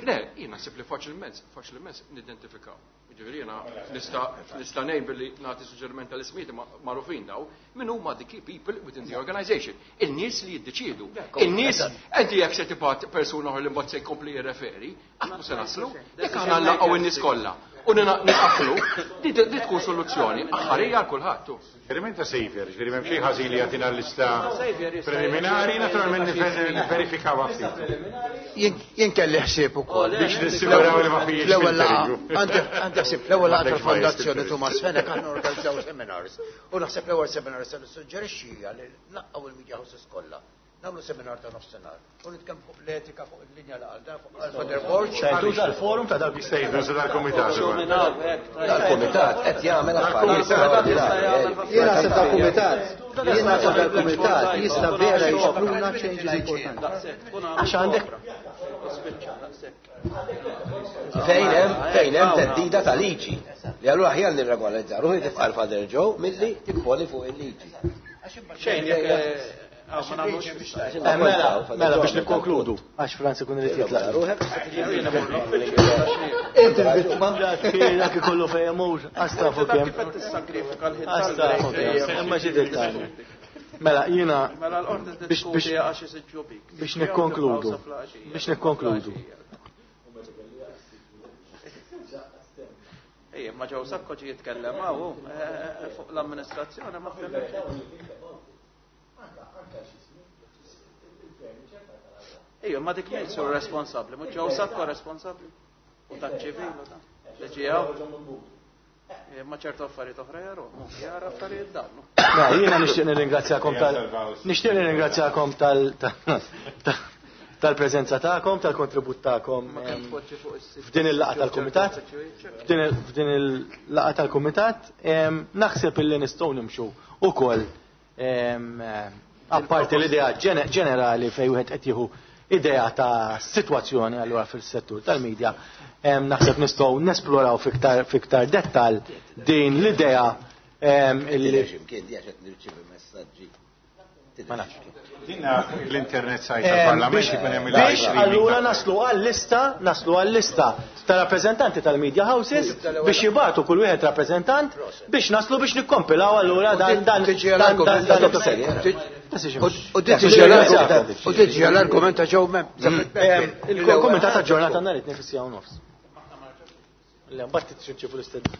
le, jien naħseb li faċilment, faċilment nidentifikaw. Ġifieri jiena nista' ngħid billi nagħti suġġeriment tal-ismijiet magħrufin daw, min huma the key people within the organization. Il-nies li jiddeċiedu. Il-nies inti jekk se tibgħat persuna oħra li mbagħad se jkompli jirreferi, qatt mhu se naslu, jekk aħna nlaqgħu in-nies kollha u nqaflu, di tkun soluzzjoni aħħarija għal kulħadd. Suġġeriment ta' Xavier, ġifieri m'hemm xejn ħażin li jagħtina l-lista preliminari, naturalment nivverifikawha ftit. Jien kelli ħsieb ukoll. Biex nissiguraw li ma fijiex. L-ewwel għandi ħsieb l-ewwel laqgħa tal-Fondazzjoni Thomas Fenech aħna organizzaw seminars. U naħseb l-ewwel seminar se nissuġġerixxi hija li nlaqqgħu il-media houses kollha. Nagħmlu seminar ta' nofsinhar. U nitkellmu fuq l-etika, fuq il-linja li għal dan, fuq Father Borg. Tuża l-forum ta' dak jista' jiddu dal-kumitat. Dal-kumitat qed jagħmel affarijiet straordinarji. Jien naħseb dal-kumitat, jien naħseb dal-kumitat jista' vera jixpruna changes importanti. Għax għandek fejn hemm fejn hemm theddida ta' liġi. Li allura aħjar nirregolarizzaw ruħi tifqar Father Joe milli timponi fuq il-liġi. Xejn jekk Mela, mela biex nikkonkludu, għax Franz ikun irid jitlaq. Inti l-vittma dak ikollu fejn imur, għax tafu kemm. Għax tafu kemm, imma xi dettalji. Mela jiena biex biex nikkonkludu, biex nikkonkludu. Ejja, ma ġew Sakko ġie jitkellem hawn fuq l-amministrazzjoni ma fehmx. Ejja, ma dik min sur responsabbli, mhux ġew Sakko responsabbli. U taċ-ċivil u ta' li ġie hawn. Ma ċertu affarijiet oħra jaru, jara affarijiet dawn. Mela, jiena nixtieq nirringrazzjakom tal nixtieq nirringrazzjakom tal tal-preżenza tagħkom, tal-kontribut tagħkom f'din il-laqgħa tal-kumitat. F'din il-laqgħa tal-kumitat naħseb illi nistgħu nimxu ukoll apparti l-idea ġenerali fejn wieħed qed jieħu idea ta' sitwazzjoni allura fis-settur tal-medja, naħseb nistgħu nesploraw fiktar fiktar dettal din l-idea illi ma nafx. Dinna l-internet site tal-Parlament ikun hemm il Biex allura naslu għal-lista, naslu għal-lista ta' rappreżentanti tal-media houses biex jibgħatu kull wieħed rappreżentant biex naslu biex nikkompilaw allura dan dan dan dan U tiġi l-argument ta' ġew mem. Il-kumitat ta' ġurnata nhar it-tnejn fis-siegħa u nofs. Le, mbagħad titxinċifu l-istedin.